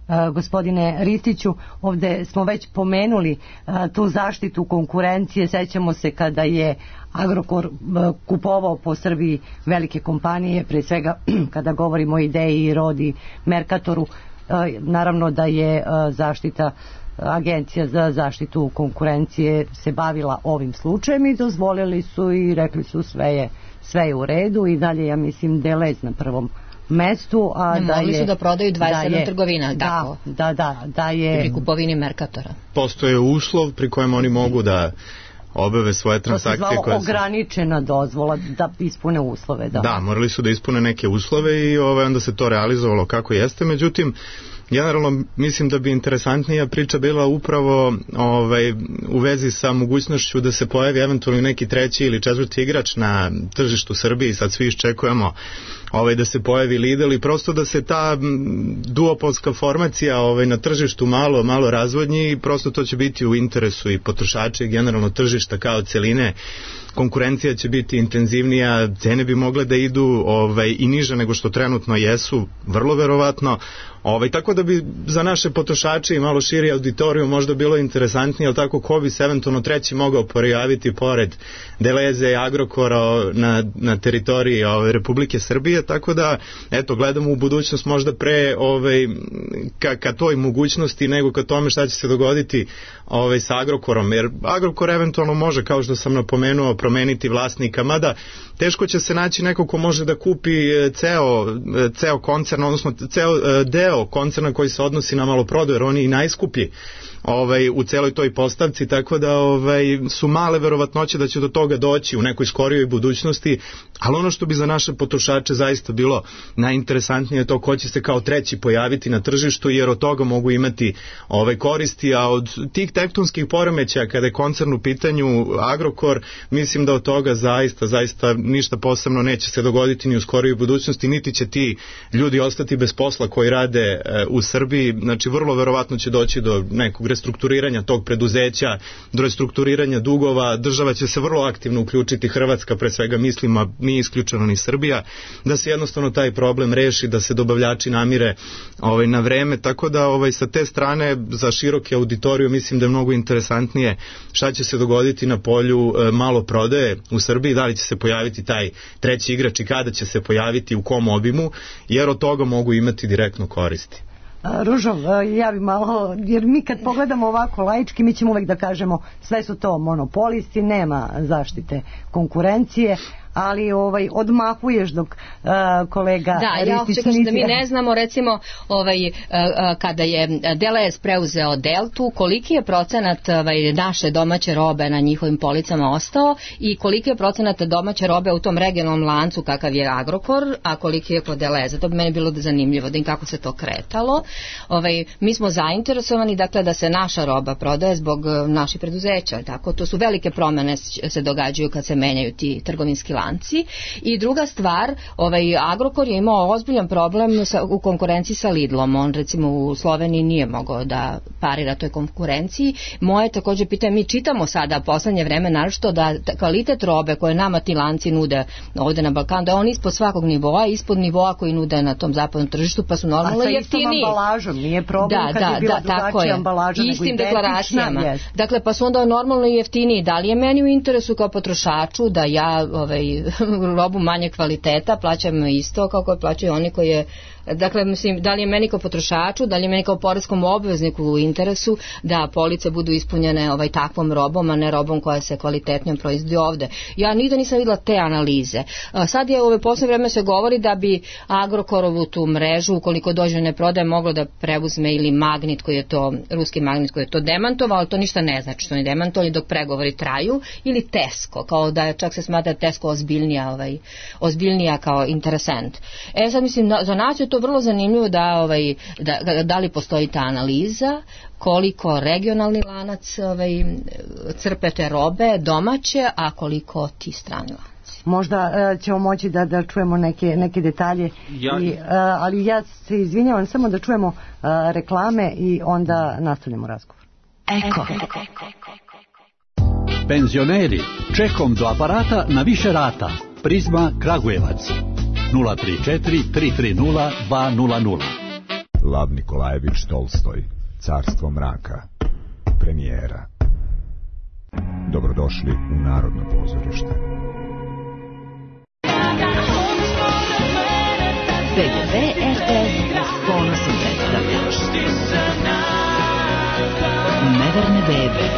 Uh, gospodine Ristiću, ovde smo već pomenuli uh, tu zaštitu konkurencije. Sećamo se kada je Agrokor uh, kupovao po Srbiji velike kompanije, pre svega kada govorimo o Ideji i Rodi, Merkatoru. Uh, naravno da je uh, zaštita Agencija za zaštitu konkurencije se bavila ovim slučajem i dozvolili su i rekli su sve je, sve je u redu i dalje, ja mislim, Delez na prvom mestu, a ne, da mogli je, su da prodaju dvadeset sedam trgovina, da, tako? Da, da, da je... Pri kupovini Merkatora. Postoje uslov pri kojem oni mogu da obave svoje transakcije. To se zvalo koje ograničena dozvola da ispune uslove. Da, da morali su da ispune neke uslove i ovaj, onda se to realizovalo kako jeste. Međutim, generalno mislim da bi interesantnija priča bila upravo ovaj, u vezi sa mogućnošću da se pojavi eventualno neki treći ili četvrti igrač na tržištu Srbije. Sad svi iščekujemo ovaj, da se pojavi Lidl i prosto da se ta duopolska formacija ovaj, na tržištu malo, malo razvodnji i prosto to će biti u interesu i potrošača i generalno tržišta kao celine. Konkurencija će biti intenzivnija, cene bi mogle da idu ovaj, i niže nego što trenutno jesu, vrlo verovatno. Ovaj, tako da bi za naše potrošače i malo širi auditoriju možda bilo interesantnije, ali tako ko bi se eventualno treći mogao pojaviti pored Deleze i Agrokora na, na teritoriji ovaj, Republike Srbije, tako da eto, gledamo u budućnost možda pre ovaj, ka, ka toj mogućnosti nego ka tome šta će se dogoditi ovaj, sa Agrokorom, jer Agrokor eventualno može, kao što sam napomenuo, promeniti vlasnika, mada teško će se naći neko ko može da kupi ceo, ceo koncern, odnosno ceo deo koncerna koji se odnosi na maloprodaju, jer on je i najskuplji ovaj, u celoj toj postavci, tako da ovaj, su male verovatnoće da će do toga doći u nekoj skorijoj budućnosti, ali ono što bi za naše potrošače zaista bilo najinteresantnije je to ko će se kao treći pojaviti na tržištu, jer od toga mogu imati ovaj, koristi, a od tih tektonskih poremećaja kada je koncern u pitanju Agrokor, mislim da od toga zaista, zaista ništa posebno neće se dogoditi ni u skorijoj budućnosti, niti će ti ljudi ostati bez posla koji rade e, u Srbiji, znači vrlo verovatno će doći do nekog restrukturiranja tog preduzeća, do restrukturiranja dugova, država će se vrlo aktivno uključiti, Hrvatska pre svega mislim, a nije isključeno ni Srbija, da se jednostavno taj problem reši, da se dobavljači namire ovaj, na vreme, tako da ovaj, sa te strane za široke auditoriju mislim da je mnogo interesantnije šta će se dogoditi na polju e, malo prodaje u Srbiji, da li će se pojaviti taj treći igrač i kada će se pojaviti, u kom obimu, jer od toga mogu imati direktno koristi. Ružo, ja bi malo, jer mi kad pogledamo ovako laički, mi ćemo uvek da kažemo sve su to monopolisti, nema zaštite konkurencije, ali ovaj odmahuješ dok uh, kolega da, ja uopće kažem da mi ne znamo recimo ovaj, uh, kada je Delez preuzeo Deltu, koliki je procenat ovaj, naše domaće robe na njihovim policama ostao i koliki je procenat domaće robe u tom regionalnom lancu kakav je Agrokor, a koliki je kod Deleza. To bi meni bilo zanimljivo da im kako se to kretalo. Ovaj, mi smo zainteresovani dakle da se naša roba prodaje zbog naših preduzeća, tako, to su velike promene se događaju kad se menjaju ti trgovinski lanci. I druga stvar, ovaj Agrokor je imao ozbiljan problem sa, u konkurenciji sa Lidlom. On recimo u Sloveniji nije mogao da parira toj konkurenciji. Moje također pitanje, mi čitamo sada poslednje vreme naročito da kvalitet robe koje nama ti lanci nude ovde na Balkanu, da on ispod svakog nivoa, ispod nivoa koji nude na tom zapadnom tržištu, pa su normalno jeftiniji. A sa istom ambalažom, nije problem da, kad da, je bila da, drugačija ambalaža nego istim identična. Deklaracijama. Dakle, pa su onda normalno jeftiniji. Da li je meni u interesu kao potrošaču da ja ovaj, ovaj, robu manje kvaliteta, plaćamo isto kao koje plaćaju oni koji je, dakle, mislim, da li je meni kao potrošaču, da li je meni kao poreskom obvezniku u interesu da police budu ispunjene ovaj, takvom robom, a ne robom koja se kvalitetnijom proizvodi ovde. Ja nigde nisam videla te analize. Sad je u ove poslednje vreme se govori da bi Agrokorovu tu mrežu, ukoliko dođe ne prodaje, moglo da preuzme ili Magnit koji je to, ruski Magnit koji je to demantovao, ali to ništa ne znači što ne demantovali dok pregovori traju, ili Tesco, kao da je, čak se smatra Tesco ozbiljnija, ovaj, ozbiljnija kao interesent. E sad mislim, za nas je to vrlo zanimljivo da, ovaj, da, da li postoji ta analiza, koliko regionalni lanac ovaj, crpe te robe domaće, a koliko ti strani lanci. Možda uh, ćemo moći da, da čujemo neke, neke detalje, ja... I, uh, ali ja se izvinjavam samo da čujemo uh, reklame i onda nastavljamo razgovor. Eko. Penzioneri, čekom do aparata na više rata. Prizma Kragujevac. nula tri četiri tri tri nula dva nula nula. Lav Nikolajević Tolstoj, Carstvo mraka, premijera. Dobrodošli u Narodno pozorište. B G B R T S s ponosom predstavlja Neverne bebe,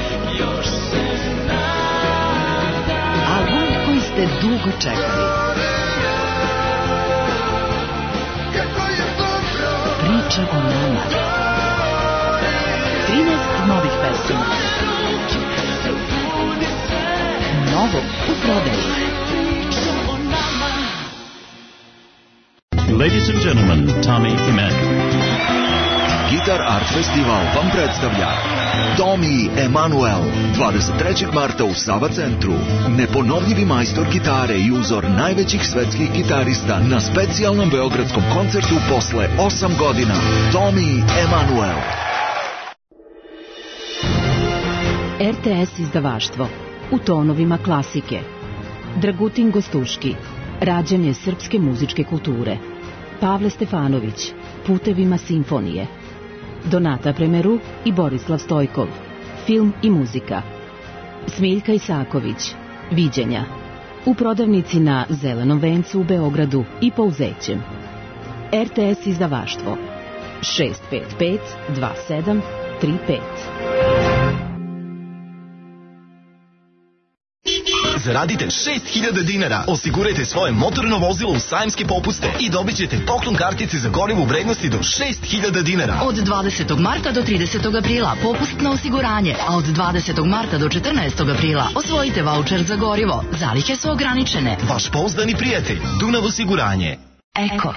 album koji ste dugo čekali, priča o nama, trinaest novih pesama, novo u prodaji. Ladies and gentlemen, Tommy Emmanuel. Gitar Art Festival vam predstavlja Tommy Emmanuel dvadeset trećeg marta u Sava centru. Neponovljivi majstor gitare i uzor najvećih svetskih gitarista na specijalnom beogradskom koncertu posle osam godina. Tommy Emmanuel. R T S izdavaštvo u tonovima klasike. Dragutin Gostuški, rađanje srpske muzičke kulture. Pavle Stefanović, Putevima simfonije. Donata Premeru i Borislav Stojkov, film i muzika. Smiljka Isaković, Viđenja. U prodavnici na Zelenom vencu u Beogradu i Pouzećem. R T S izdavaštvo šest pet pet dva sedam tri pet. Zaradite šest hiljada dinara, osigurajte svoje motorno vozilo u sajamske popuste i dobit ćete poklon kartice za gorivo u vrednosti do šest hiljada dinara. Od dvadesetog marta do tridesetog aprila popust na osiguranje, a od dvadesetog marta do četrnaestog aprila osvojite vaučer za gorivo. Zalihe su ograničene. Vaš pouzdani prijatelj, Dunav osiguranje. Eko.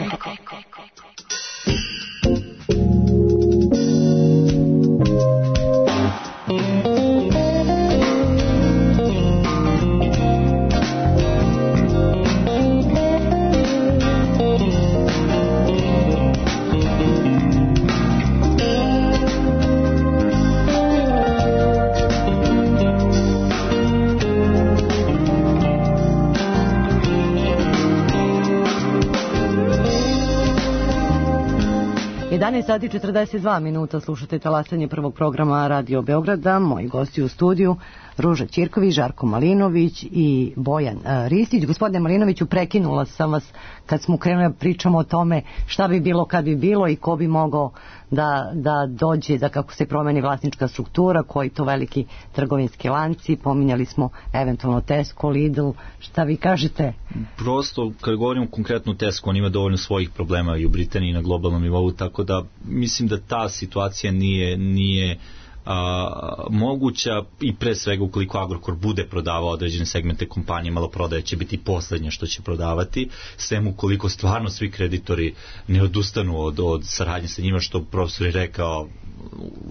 jedanaest sati četrdeset dva minuta, slušate talasanje prvog programa Radio Beograda. Moji gosti u studiju Ruža Ćirković, Žarko Malinović i Bojan uh, Ristić. Gospodine Malinoviću, prekinula sam vas kad smo krenuli da pričamo o tome šta bi bilo kad bi bilo i ko bi mogao da, da dođe, da kako se promeni vlasnička struktura, koji to veliki trgovinski lanci, pominjali smo eventualno Tesco, Lidl, šta vi kažete? Prosto, kad govorimo konkretno Tesco, on ima dovoljno svojih problema i u Britaniji i na globalnom nivou, tako da mislim da ta situacija nije, nije a, moguća i pre svega ukoliko Agrokor bude prodavao određene segmente kompanije, malo prodaje će biti poslednje što će prodavati, sem ukoliko stvarno svi kreditori ne odustanu od, od saradnje sa njima, što profesor je rekao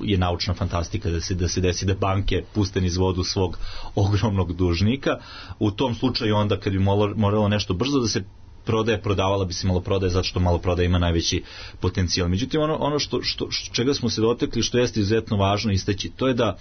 je naučna fantastika da se, da se desi da banke puste niz vodu svog ogromnog dužnika. U tom slučaju onda kad bi moralo nešto brzo da se prodaje, prodavala bi se malo prodaje zato što malo prodaje ima najveći potencijal. Međutim, ono, ono što, što, čega smo se dotekli, što jeste izuzetno važno istaći, to je da,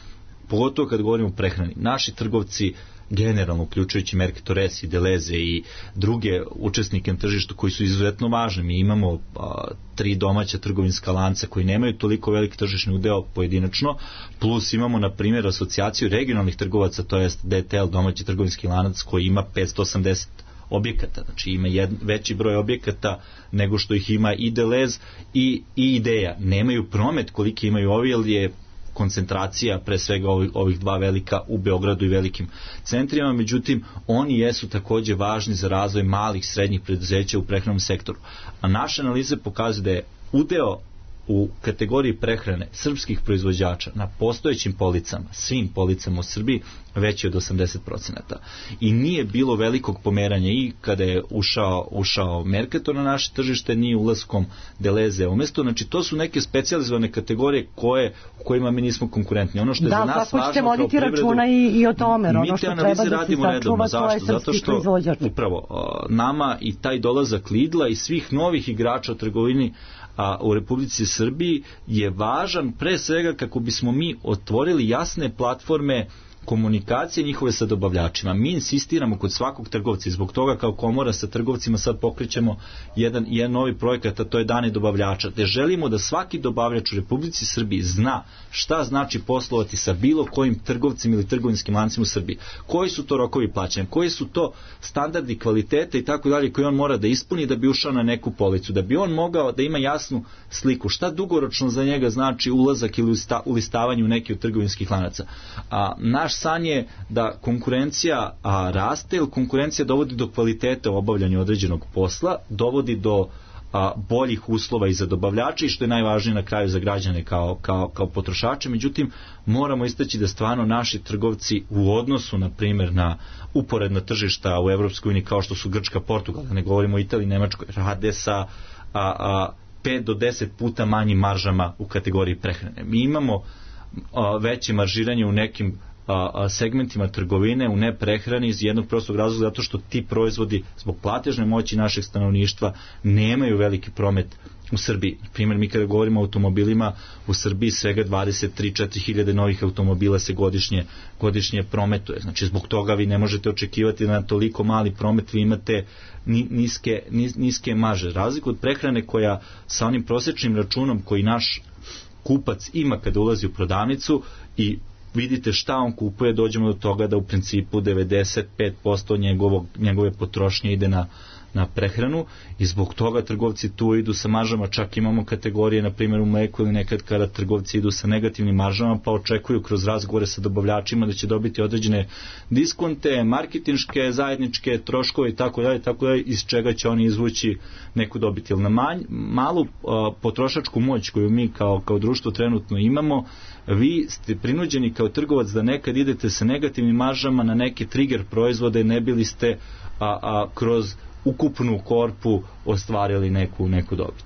pogotovo kad govorimo o prehrani, naši trgovci generalno, uključujući Mercatores i Deleze i druge učesnike na tržištu koji su izuzetno važni. Mi imamo a, tri domaća trgovinska lanca koji nemaju toliko veliki tržišni udeo pojedinačno, plus imamo na primjer asocijaciju regionalnih trgovaca, to jest D T L, domaći trgovinski lanac koji ima petsto osamdeset objekata, znači ima jed, veći broj objekata nego što ih ima i Delez i, i Ideja. Nemaju promet koliki imaju ovi, jer je koncentracija pre svega ovih, ovih dva velika u Beogradu i velikim centrima, međutim oni jesu takođe važni za razvoj malih srednjih preduzeća u prehrambenom sektoru. A naše analize pokazuju da je udeo u kategoriji prehrane srpskih proizvođača na postojećim policama, svim policama u Srbiji, veći od osamdeset procenata. I nije bilo velikog pomeranja i kada je ušao, ušao Mercator na naše tržište, ni ulaskom Deleze umesto. Znači, to su neke specijalizovane kategorije koje, u kojima mi nismo konkurentni. Ono što je da, za nas važno kao voditi privredu, računa i, i o tome. Ono što mi te analize radimo redovno. Zašto? Zato što upravo nama i taj dolazak Lidla i svih novih igrača u trgovini a u Republici Srbiji je važan pre svega kako bismo mi otvorili jasne platforme komunikacije njihove sa dobavljačima. Mi insistiramo kod svakog trgovca i zbog toga kao komora sa trgovcima sad pokrećemo jedan, jedan novi projekat, a to je Dani dobavljača, gde želimo da svaki dobavljač u Republici Srbiji zna šta znači poslovati sa bilo kojim trgovcima ili trgovinskim lancima u Srbiji. Koji su to rokovi plaćanja, koji su to standardi kvalitete i tako dalje koje on mora da ispuni da bi ušao na neku policu, da bi on mogao da ima jasnu sliku šta dugoročno za njega znači ulazak ili ulistavanje u neki od trgovinskih lanaca. A naš san je da konkurencija a, raste, jer konkurencija dovodi do kvalitete u obavljanju određenog posla, dovodi do a, boljih uslova i za dobavljače i što je najvažnije na kraju za građane kao, kao, kao potrošače. Međutim, moramo istaći da stvarno naši trgovci u odnosu, na primjer, na uporedna tržišta u Evropskoj uniji kao što su Grčka, Portugal, da ne govorimo o Italiji, Nemačkoj, rade sa a, a, pet do deset puta manjim maržama u kategoriji prehrane. Mi imamo a, veće maržiranje u nekim a, segmentima trgovine u neprehrani iz jednog prostog razloga zato što ti proizvodi zbog platežne moći našeg stanovništva nemaju veliki promet u Srbiji. Na primjer, mi kada govorimo o automobilima u Srbiji svega dvadeset tri do četiri hiljade novih automobila se godišnje, godišnje prometuje. Znači zbog toga vi ne možete očekivati da na toliko mali promet vi imate niske, niske marže. Razliku od prehrane koja sa onim prosječnim računom koji naš kupac ima kada ulazi u prodavnicu i vidite šta on kupuje, dođemo do toga da u principu devedeset pet posto njegovog, njegove potrošnje ide na, na prehranu i zbog toga trgovci tu idu sa maržama, čak imamo kategorije, na primjer u mleku ili nekad kada trgovci idu sa negativnim maržama pa očekuju kroz razgovore sa dobavljačima da će dobiti određene diskonte, marketinške, zajedničke troškove i tako dalje, tako dalje, iz čega će oni izvući neku dobiti. Jer na manj, malu a, potrošačku moć koju mi kao, kao društvo trenutno imamo, vi ste prinuđeni kao trgovac da nekad idete sa negativnim maržama na neke trigger proizvode, ne bili ste a, a, kroz ukupnu korpu ostvarili neku, neku dobit.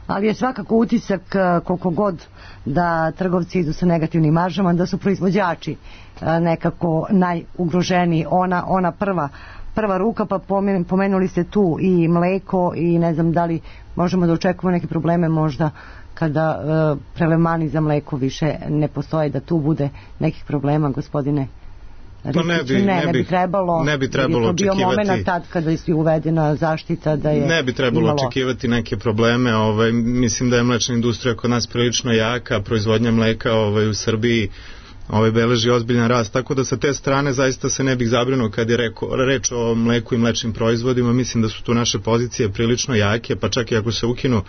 Ali je svakako utisak koliko god da trgovci idu sa negativnim maržama, da su proizvođači nekako najugroženiji, ona, ona prva prva ruka, pa pomenuli ste tu i mleko i ne znam da li možemo da očekujemo neke probleme možda kada uh, prelevmani za mleko više ne postoje, da tu bude nekih problema, gospodine Ristiću. Pa ne bi, ne, ne, ne bi bi trebalo, ne bi trebalo je to bio očekivati, moment tad kada je uvedena zaštita da je ne bi trebalo imalo očekivati neke probleme. Ovaj, mislim da je mlečna industrija kod nas prilično jaka, proizvodnja mleka ovaj, u Srbiji ovaj, beleži ozbiljan rast, tako da sa te strane zaista se ne bih zabrinuo kad je reko, reč o mleku i mlečnim proizvodima. Mislim da su tu naše pozicije prilično jake, pa čak i ako se ukinu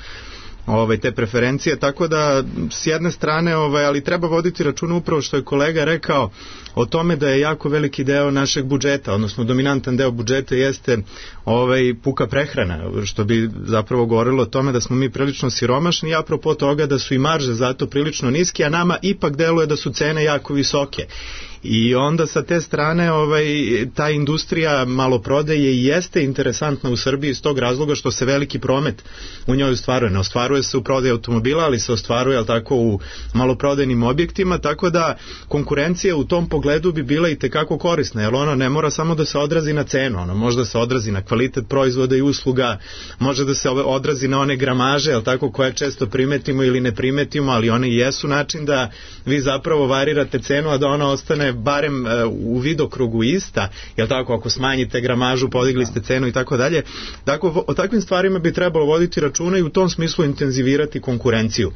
ovaj, te preferencije, tako da s jedne strane, ovaj, ali treba voditi računa upravo što je kolega rekao o tome da je jako veliki deo našeg budžeta, odnosno dominantan deo budžeta jeste ovaj, puka prehrana, što bi zapravo govorilo o tome da smo mi prilično siromašni i apropo toga da su i marže zato prilično niske, a nama ipak deluje da su cene jako visoke. I onda sa te strane ovaj, ta industrija maloprodaje i jeste interesantna u Srbiji iz tog razloga što se veliki promet u njoj ostvaruje. Ne ostvaruje se u prodaji automobila, ali se ostvaruje ali tako u maloprodajnim objektima, tako da konkurencija u tom pogledu bi bila i tekako korisna, jer ona ne mora samo da se odrazi na cenu, ona može da se odrazi na kvalitet proizvoda i usluga, može da se odrazi na one gramaže, jel tako, koje često primetimo ili ne primetimo, ali one jesu način da vi zapravo varirate cenu, a da ona ostane barem u vidokrugu ista, jel tako, ako smanjite gramažu, podigli ste cenu i tako dalje. Dakle, o takvim stvarima bi trebalo voditi računa i u tom smislu intenzivirati konkurenciju.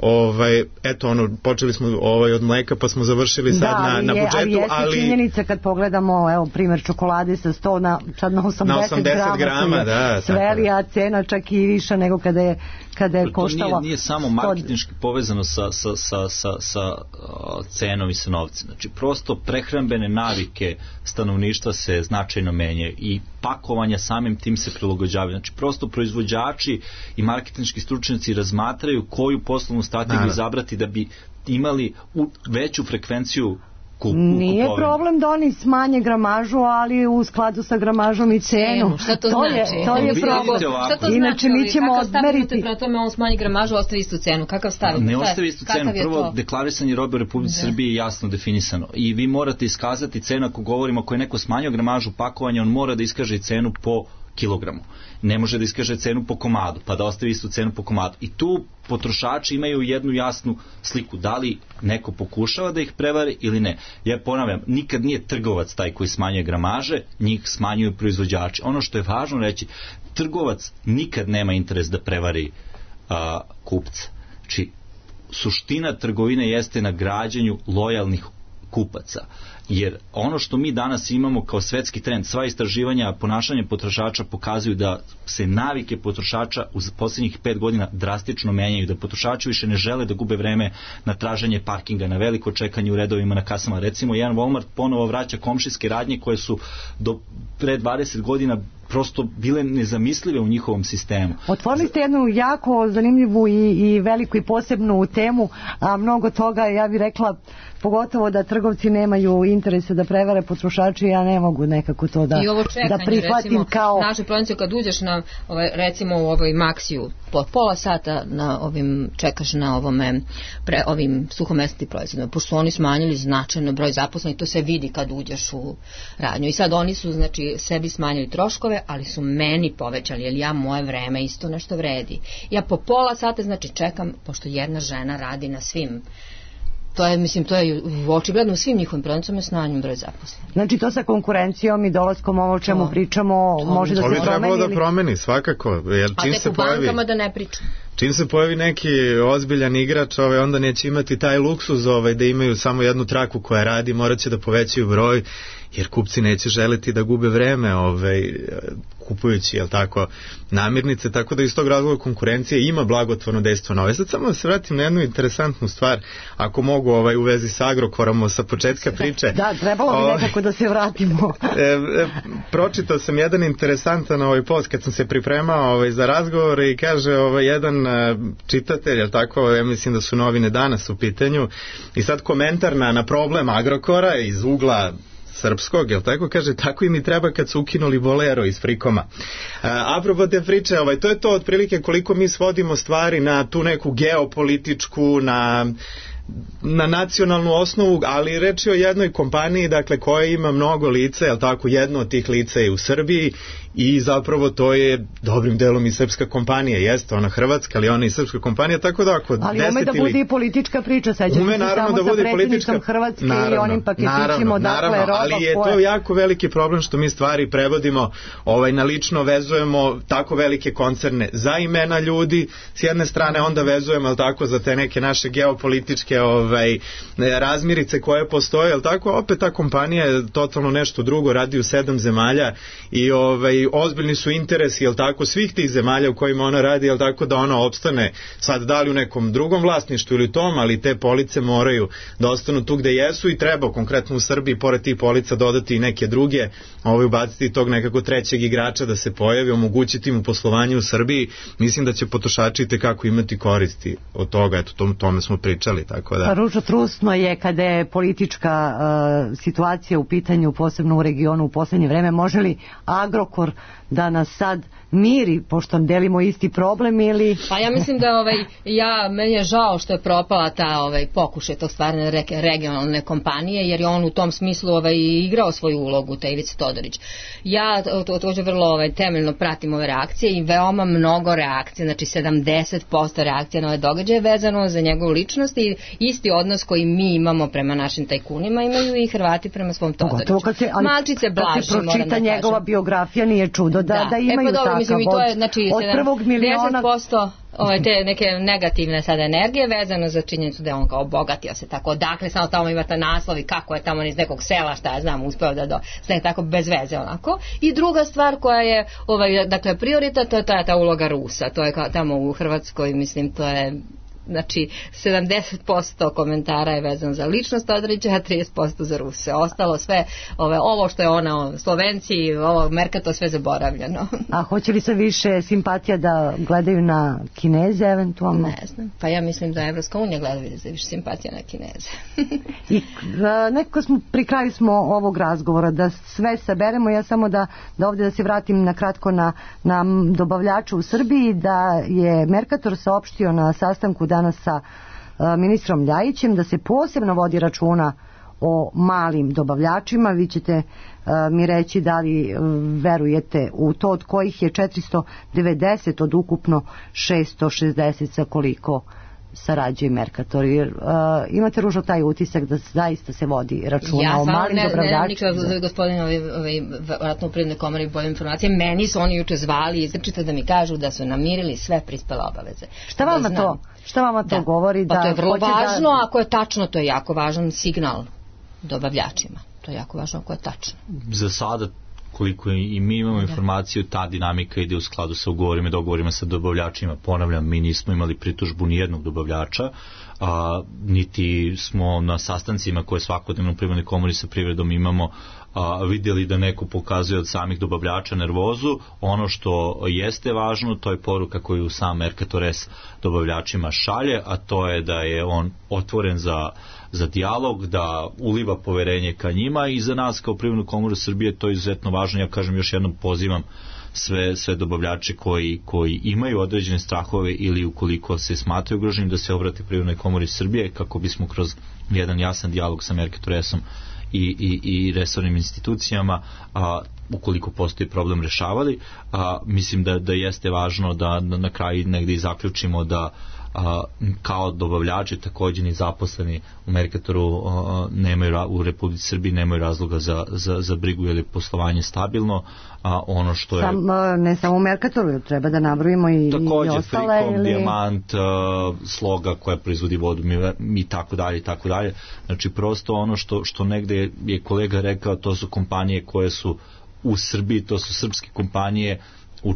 ovaj, eto ono, počeli smo ovaj, od mleka pa smo završili sad da, na, na je, budžetu, ali... ali... jeste činjenica kad pogledamo, evo, primjer čokolade sa sto na, sad na osamdeset, na osamdeset grama, da, sveli, a cena čak i više nego kada je, kada je koštala... To nije, nije samo marketinški povezano sa, sa, sa, sa, sa uh, cenom i sa novcem. Znači, prosto prehrambene navike stanovništva se značajno menjaju i pakovanja samim tim se prilagođavaju. Znači, prosto proizvođači i marketinški stručnjaci razmatraju koju poslovnu strategiju izabrati da bi imali u, veću frekvenciju kup, nije kupovine. problem da oni smanje gramažu, ali u skladu sa gramažom i cenu. Šta to, to znači? Je, to je problem. Šta to Inače, znači? mi ćemo odmeriti. Kakav tome on smanji gramažu, ostavi istu cenu. Kakav stavi? Ne ostavi istu cenu. Prvo, deklarisanje robe u Republici Srbiji je jasno definisano. I vi morate iskazati cenu, ako govorimo, ako je neko smanjio gramažu pakovanja, on mora da iskaže cenu po kilogramu. Ne može da iskaže cenu po komadu, pa da ostavi istu cenu po komadu. I tu potrošači imaju jednu jasnu sliku, da li neko pokušava da ih prevari ili ne. Ja ponavljam, nikad nije trgovac taj koji smanjuje gramaže, njih smanjuju proizvođači. Ono što je važno reći, trgovac nikad nema interes da prevari a, kupca. Znači, suština trgovine jeste na građenju lojalnih kupaca. Jer ono što mi danas imamo kao svetski trend, sva istraživanja ponašanja potrošača pokazuju da se navike potrošača u posljednjih pet godina drastično menjaju, da potrošači više ne žele da gube vreme na traženje parkinga, na veliko čekanje u redovima na kasama. Recimo, jedan Walmart ponovo vraća komšijske radnje koje su do pre dvadeset godina prosto bile nezamislive u njihovom sistemu. Otvorili ste jednu jako zanimljivu i, i veliku i posebnu temu, a mnogo toga, ja bih rekla, pogotovo da trgovci nemaju interese da prevare potrošači, ja ne mogu nekako to da, čekanje, da prihvatim recimo, kao... Naše prodavnice kad uđeš na, ovaj, recimo u ovoj Maxiju, po pola sata na ovim, čekaš na ovome, pre, ovim suhomesnim proizvodima, pošto oni smanjili značajno broj zaposlenih, to se vidi kad uđeš u radnju. I sad oni su, znači, sebi smanjili troškove, ali su meni povećali, jer ja moje vreme isto nešto vredi. Ja po pola sata, znači, čekam, pošto jedna žena radi na svim, to je, mislim, to je očigledno u svim njihovim prodavnicama je smanjen broj zaposlenih. Znači, to sa konkurencijom i dolaskom ovo o čemu to, pričamo to, može da se promeni? To bi trebalo da promeni, svakako. Jer a čim tek se u pojavi, bankama da ne pričam. Čim se pojavi neki ozbiljan igrač, ovaj, onda neće imati taj luksuz ovaj, da imaju samo jednu traku koja radi, morat će da povećaju broj, jer kupci neće želiti da gube vreme ovaj, kupujući, jel tako, namirnice, tako da iz tog razloga konkurencije ima blagotvorno dejstvo na ove. Sad samo da se vratim na jednu interesantnu stvar, ako mogu ovaj, u vezi sa Agrokorom sa početka priče. Da, trebalo bi nekako da se vratimo. e, e, pročitao sam jedan interesantan ovaj post kad sam se pripremao ovaj, za razgovor i kaže ovaj, jedan a, čitatelj, jel tako, ja mislim da su novine Danas u pitanju, i sad komentar na, na problem Agrokora iz ugla srpskog, jel tako, kaže, tako i mi treba kad su ukinuli Bolero iz Frikoma. A, apropo te priče, ovaj, to je to otprilike koliko mi svodimo stvari na tu neku geopolitičku, na na nacionalnu osnovu, ali reč je o jednoj kompaniji, dakle, koja ima mnogo lica, jel tako, jedno od tih lica je u Srbiji i zapravo to je dobrim delom i srpska kompanija, jeste ona hrvatska, ali ona i srpska kompanija, tako da ako ali ume da bude i politička priča, sećam ume, se naravno, samo da sa bude predsjednikom politička... Hrvatske naravno, i onim paketićima, naravno, dakle, naravno, roba ali je koja... to jako veliki problem što mi stvari prevodimo ovaj, na lično vezujemo tako velike koncerne za imena ljudi, s jedne strane onda vezujemo, jel tako, za te neke naše geopolitičke ovaj, razmirice koje postoje, jel tako, opet ta kompanija je totalno nešto drugo, radi u sedam zemalja i ovaj, ozbiljni su interesi, jel tako, svih tih zemalja u kojima ona radi, jel tako, da ona opstane sad da li u nekom drugom vlasništvu ili tom, ali te police moraju da ostanu tu gde jesu i treba konkretno u Srbiji pored tih polica dodati i neke druge, ovaj, ubaciti tog nekako trećeg igrača da se pojavi, omogućiti mu poslovanje u Srbiji. Mislim da će potrošači tekako imati koristi od toga, eto, tom, tome smo pričali, tako da... Pa ružo trusno je kada je politička uh, situacija u pitanju, posebno u regionu u poslednje vreme. Može li Agrokor da nas sad miri, pošto delimo isti problem, ili... Pa ja mislim da ovaj, ja, meni je žao što je propala ta ovaj, pokušaj tog stvarne re, regionalne kompanije, jer je on u tom smislu ovaj, igrao svoju ulogu, taj Ivica Todorić. Ja to, to vrlo ovaj, temeljno pratim ove reakcije i veoma mnogo reakcije, znači sedamdeset posto reakcija na ove događaje vezano za njegovu ličnost i isti odnos koji mi imamo prema našim tajkunima imaju i Hrvati prema svom Todoriću. Kad se, ali, Malčice blaži, kad se pročita da njegova biografija, nije čudo da, da, da imaju e, pa dobro, takav mislim, i to je, znači, od prvog miliona deset posto ove, te neke negativne sada energije vezano za činjenicu da je on kao obogatio se tako, dakle samo tamo imate naslov i kako je tamo iz nekog sela, šta ja znam, uspeo da do, sve tako bez veze onako. I druga stvar koja je ovaj, dakle prioritet, to je ta, ta uloga Rusa, to je kao tamo u Hrvatskoj, mislim, to je znači sedamdeset posto komentara je vezan za ličnost Odrića, a trideset posto za Ruse. Ostalo sve, ove, ovo što je ono, Slovenci, ovo Mercator, sve zaboravljeno. A hoće li se više simpatija da gledaju na Kineze eventualno? Ne znam, pa ja mislim da Evropska unija gleda više simpatija na Kineze. I a, nekako smo, pri kraju smo ovog razgovora, da sve saberemo, ja samo da, da ovdje da se vratim na kratko na, na dobavljača u Srbiji, da je Mercator saopštio na sastanku danas sa ministrom Ljajićem da se posebno vodi računa o malim dobavljačima. Vi ćete mi reći da li verujete u to, od kojih je četiristo devedeset od ukupno šesto šezdeset sa koliko sarađuje Mercator. Jer, uh, imate, Ružo, taj utisak da zaista se vodi računa ja, o malim ne, dobavljačima? Ja sam gospodin ovaj, ovaj, vratno u Privrednoj komori bolje informacije. Meni su oni juče zvali izrečito da mi kažu da su namirili sve prispele obaveze. Šta vama da to, šta vama to da. govori? Pa da to je vrlo važno, da... ako je tačno, to je jako važan signal dobavljačima. To je jako važno ako je tačno. Za sada, koliko i mi imamo informaciju, ta dinamika ide u skladu sa ugovorima i dogovorima sa dobavljačima. Ponavljam, mi nismo imali pritužbu ni jednog dobavljača, a, niti smo na sastancima koje svakodnevno u Privrednoj komori sa privredom imamo a, vidjeli da neko pokazuje od samih dobavljača nervozu. Ono što jeste važno, to je poruka koju sam Mercator S dobavljačima šalje, a to je da je on otvoren za za dijalog, da uliva poverenje ka njima, i za nas kao Privrednu komoru Srbije to je izuzetno važno. Ja kažem, još jednom pozivam sve, sve dobavljače koji, koji imaju određene strahove ili ukoliko se smatraju ugroženim da se obrate Privrednoj komori Srbije kako bismo kroz jedan jasan dijalog sa Mercator S-om i, i, i resornim institucijama, a, ukoliko postoji problem, rešavali. A, mislim da, da jeste važno da, da na kraju negdje i zaključimo da a, kao dobavljači također ni zaposleni u Mercatoru a, nemaju, u Republici Srbiji nemaju razloga za, za, za brigu, jer je poslovanje stabilno, a ono što je... Sam, ne samo u Mercatoru, treba da nabrojimo i, također, i ostale. Frikom, ili... Dijamant, a, Sloga koja proizvodi vodu i tako dalje i tako dalje. Znači prosto ono što, što negde je kolega rekao, to su kompanije koje su u Srbiji, to su srpske kompanije u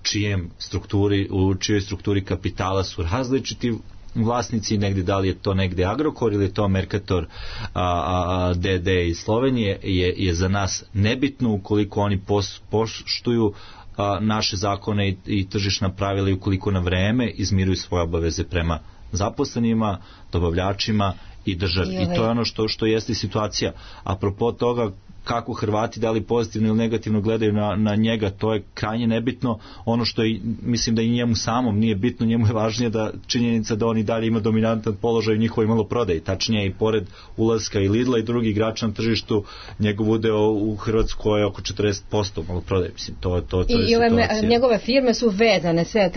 čijem strukturi, u čijoj strukturi kapitala su različiti vlasnici, negdje, da li je to negdje Agrokor ili je to Mercator a, a, D D iz Slovenije, je, je za nas nebitno ukoliko oni pos, poštuju a, naše zakone i, i tržišna pravila, i ukoliko na vreme izmiruju svoje obaveze prema zaposlenima, dobavljačima i državi. I, I to je ono što, što jeste situacija. Apropo toga kako Hrvati da li pozitivno ili negativno gledaju na, na njega, to je krajnje nebitno. Ono što je, mislim da i njemu samom nije bitno, njemu je važnije da činjenica da on i dalje ima dominantan položaj u njihovoj maloprodaji. Tačnije, i pored ulaska i Lidla i drugih igrača na tržištu, njegov udeo u Hrvatskoj je oko četrdeset posto maloprodaje. Mislim, to, to, to je I ove situacija. Njegove firme su vezane, sve,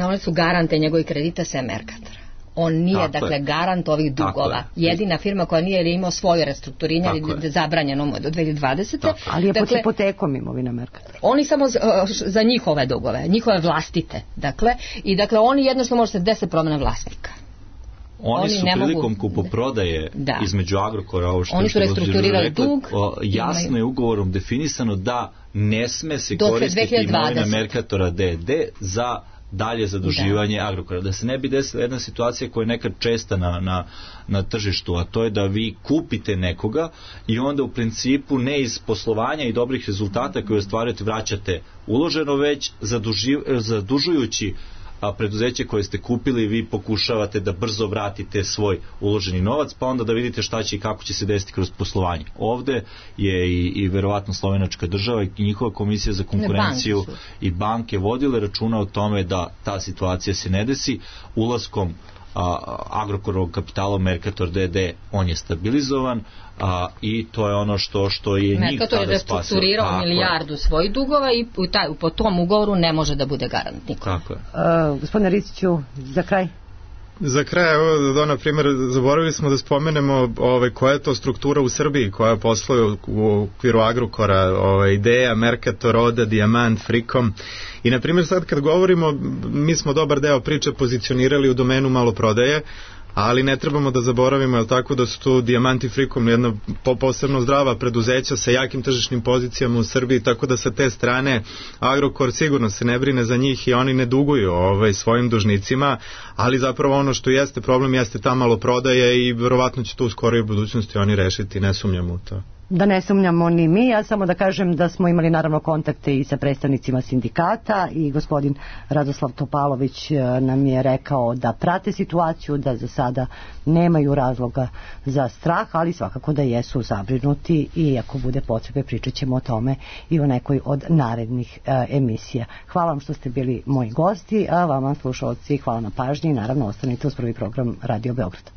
one su garante njegovih kredita sa Mercatora. On nije, tako dakle, je. garant ovih dugova. Jedina firma koja nije, ili imao svoje restrukturiranje, ili zabranjeno mu je do dve hiljade dvadesete. Ali je dakle, pod hipotekom imovina Mercatora. Oni samo za, za njihove dugove, njihove vlastite. Dakle, i dakle, oni jednostavno može se desiti promjena vlasnika. Oni, oni su prilikom mogu... kupoprodaje da. između Agrokora, ovo što oni su restrukturirali rekli, dug, o, jasno imaju. je ugovorom definisano da ne sme se do koristiti imovina Mercatora D D za dalje zaduživanje da. Agrokora. Da se ne bi desila jedna situacija koja je nekad česta na, na, na tržištu, a to je da vi kupite nekoga i onda u principu ne iz poslovanja i dobrih rezultata koje ostvarujete vraćate uloženo, već zaduži, zadužujući a preduzeće koje ste kupili vi pokušavate da brzo vratite svoj uloženi novac, pa onda da vidite šta će i kako će se desiti kroz poslovanje. Ovde je i, i verovatno slovenačka država i njihova komisija za konkurenciju banke i banke vodile računa o tome da ta situacija se ne desi. Ulaskom a, Agrokorovog kapitala Mercator D D on je stabilizovan, a, i to je ono što, što je Mercator njih tada spasio. Mercator je restrukturirao milijardu svojih dugova i u taj, po tom ugovoru ne može da bude garant niko. Tako je. Uh, gospodine Ristiću, za kraj. Za kraj, evo, da, na primjer, zaboravili smo da spomenemo ovaj, koja je to struktura u Srbiji koja posluje u, u okviru Agrokora, ovaj, Ideja, Mercator, Oda, Dijamant, Frikom. I, na primjer, sad kad govorimo, mi smo dobar deo priče pozicionirali u domenu maloprodaje, ali ne trebamo da zaboravimo, jel tako, da su tu Dijamant i Frikom jedna posebno zdrava preduzeća sa jakim tržišnim pozicijama u Srbiji, tako da sa te strane Agrokor sigurno se ne brine za njih i oni ne duguju ovaj, svojim dužnicima, ali zapravo ono što jeste problem jeste ta maloprodaja i verovatno će to u skorijoj budućnosti oni rešiti, ne sumnjamo u to. Da ne sumnjamo ni mi, ja samo da kažem da smo imali naravno kontakte i sa predstavnicima sindikata i gospodin Radoslav Topalović nam je rekao da prate situaciju, da za sada nemaju razloga za strah, ali svakako da jesu zabrinuti i ako bude potrebe pričat ćemo o tome i u nekoj od narednih e, emisija. Hvala vam što ste bili moji gosti, a vama slušalci hvala na pažnji i naravno ostanite uz prvi program Radio Beograd.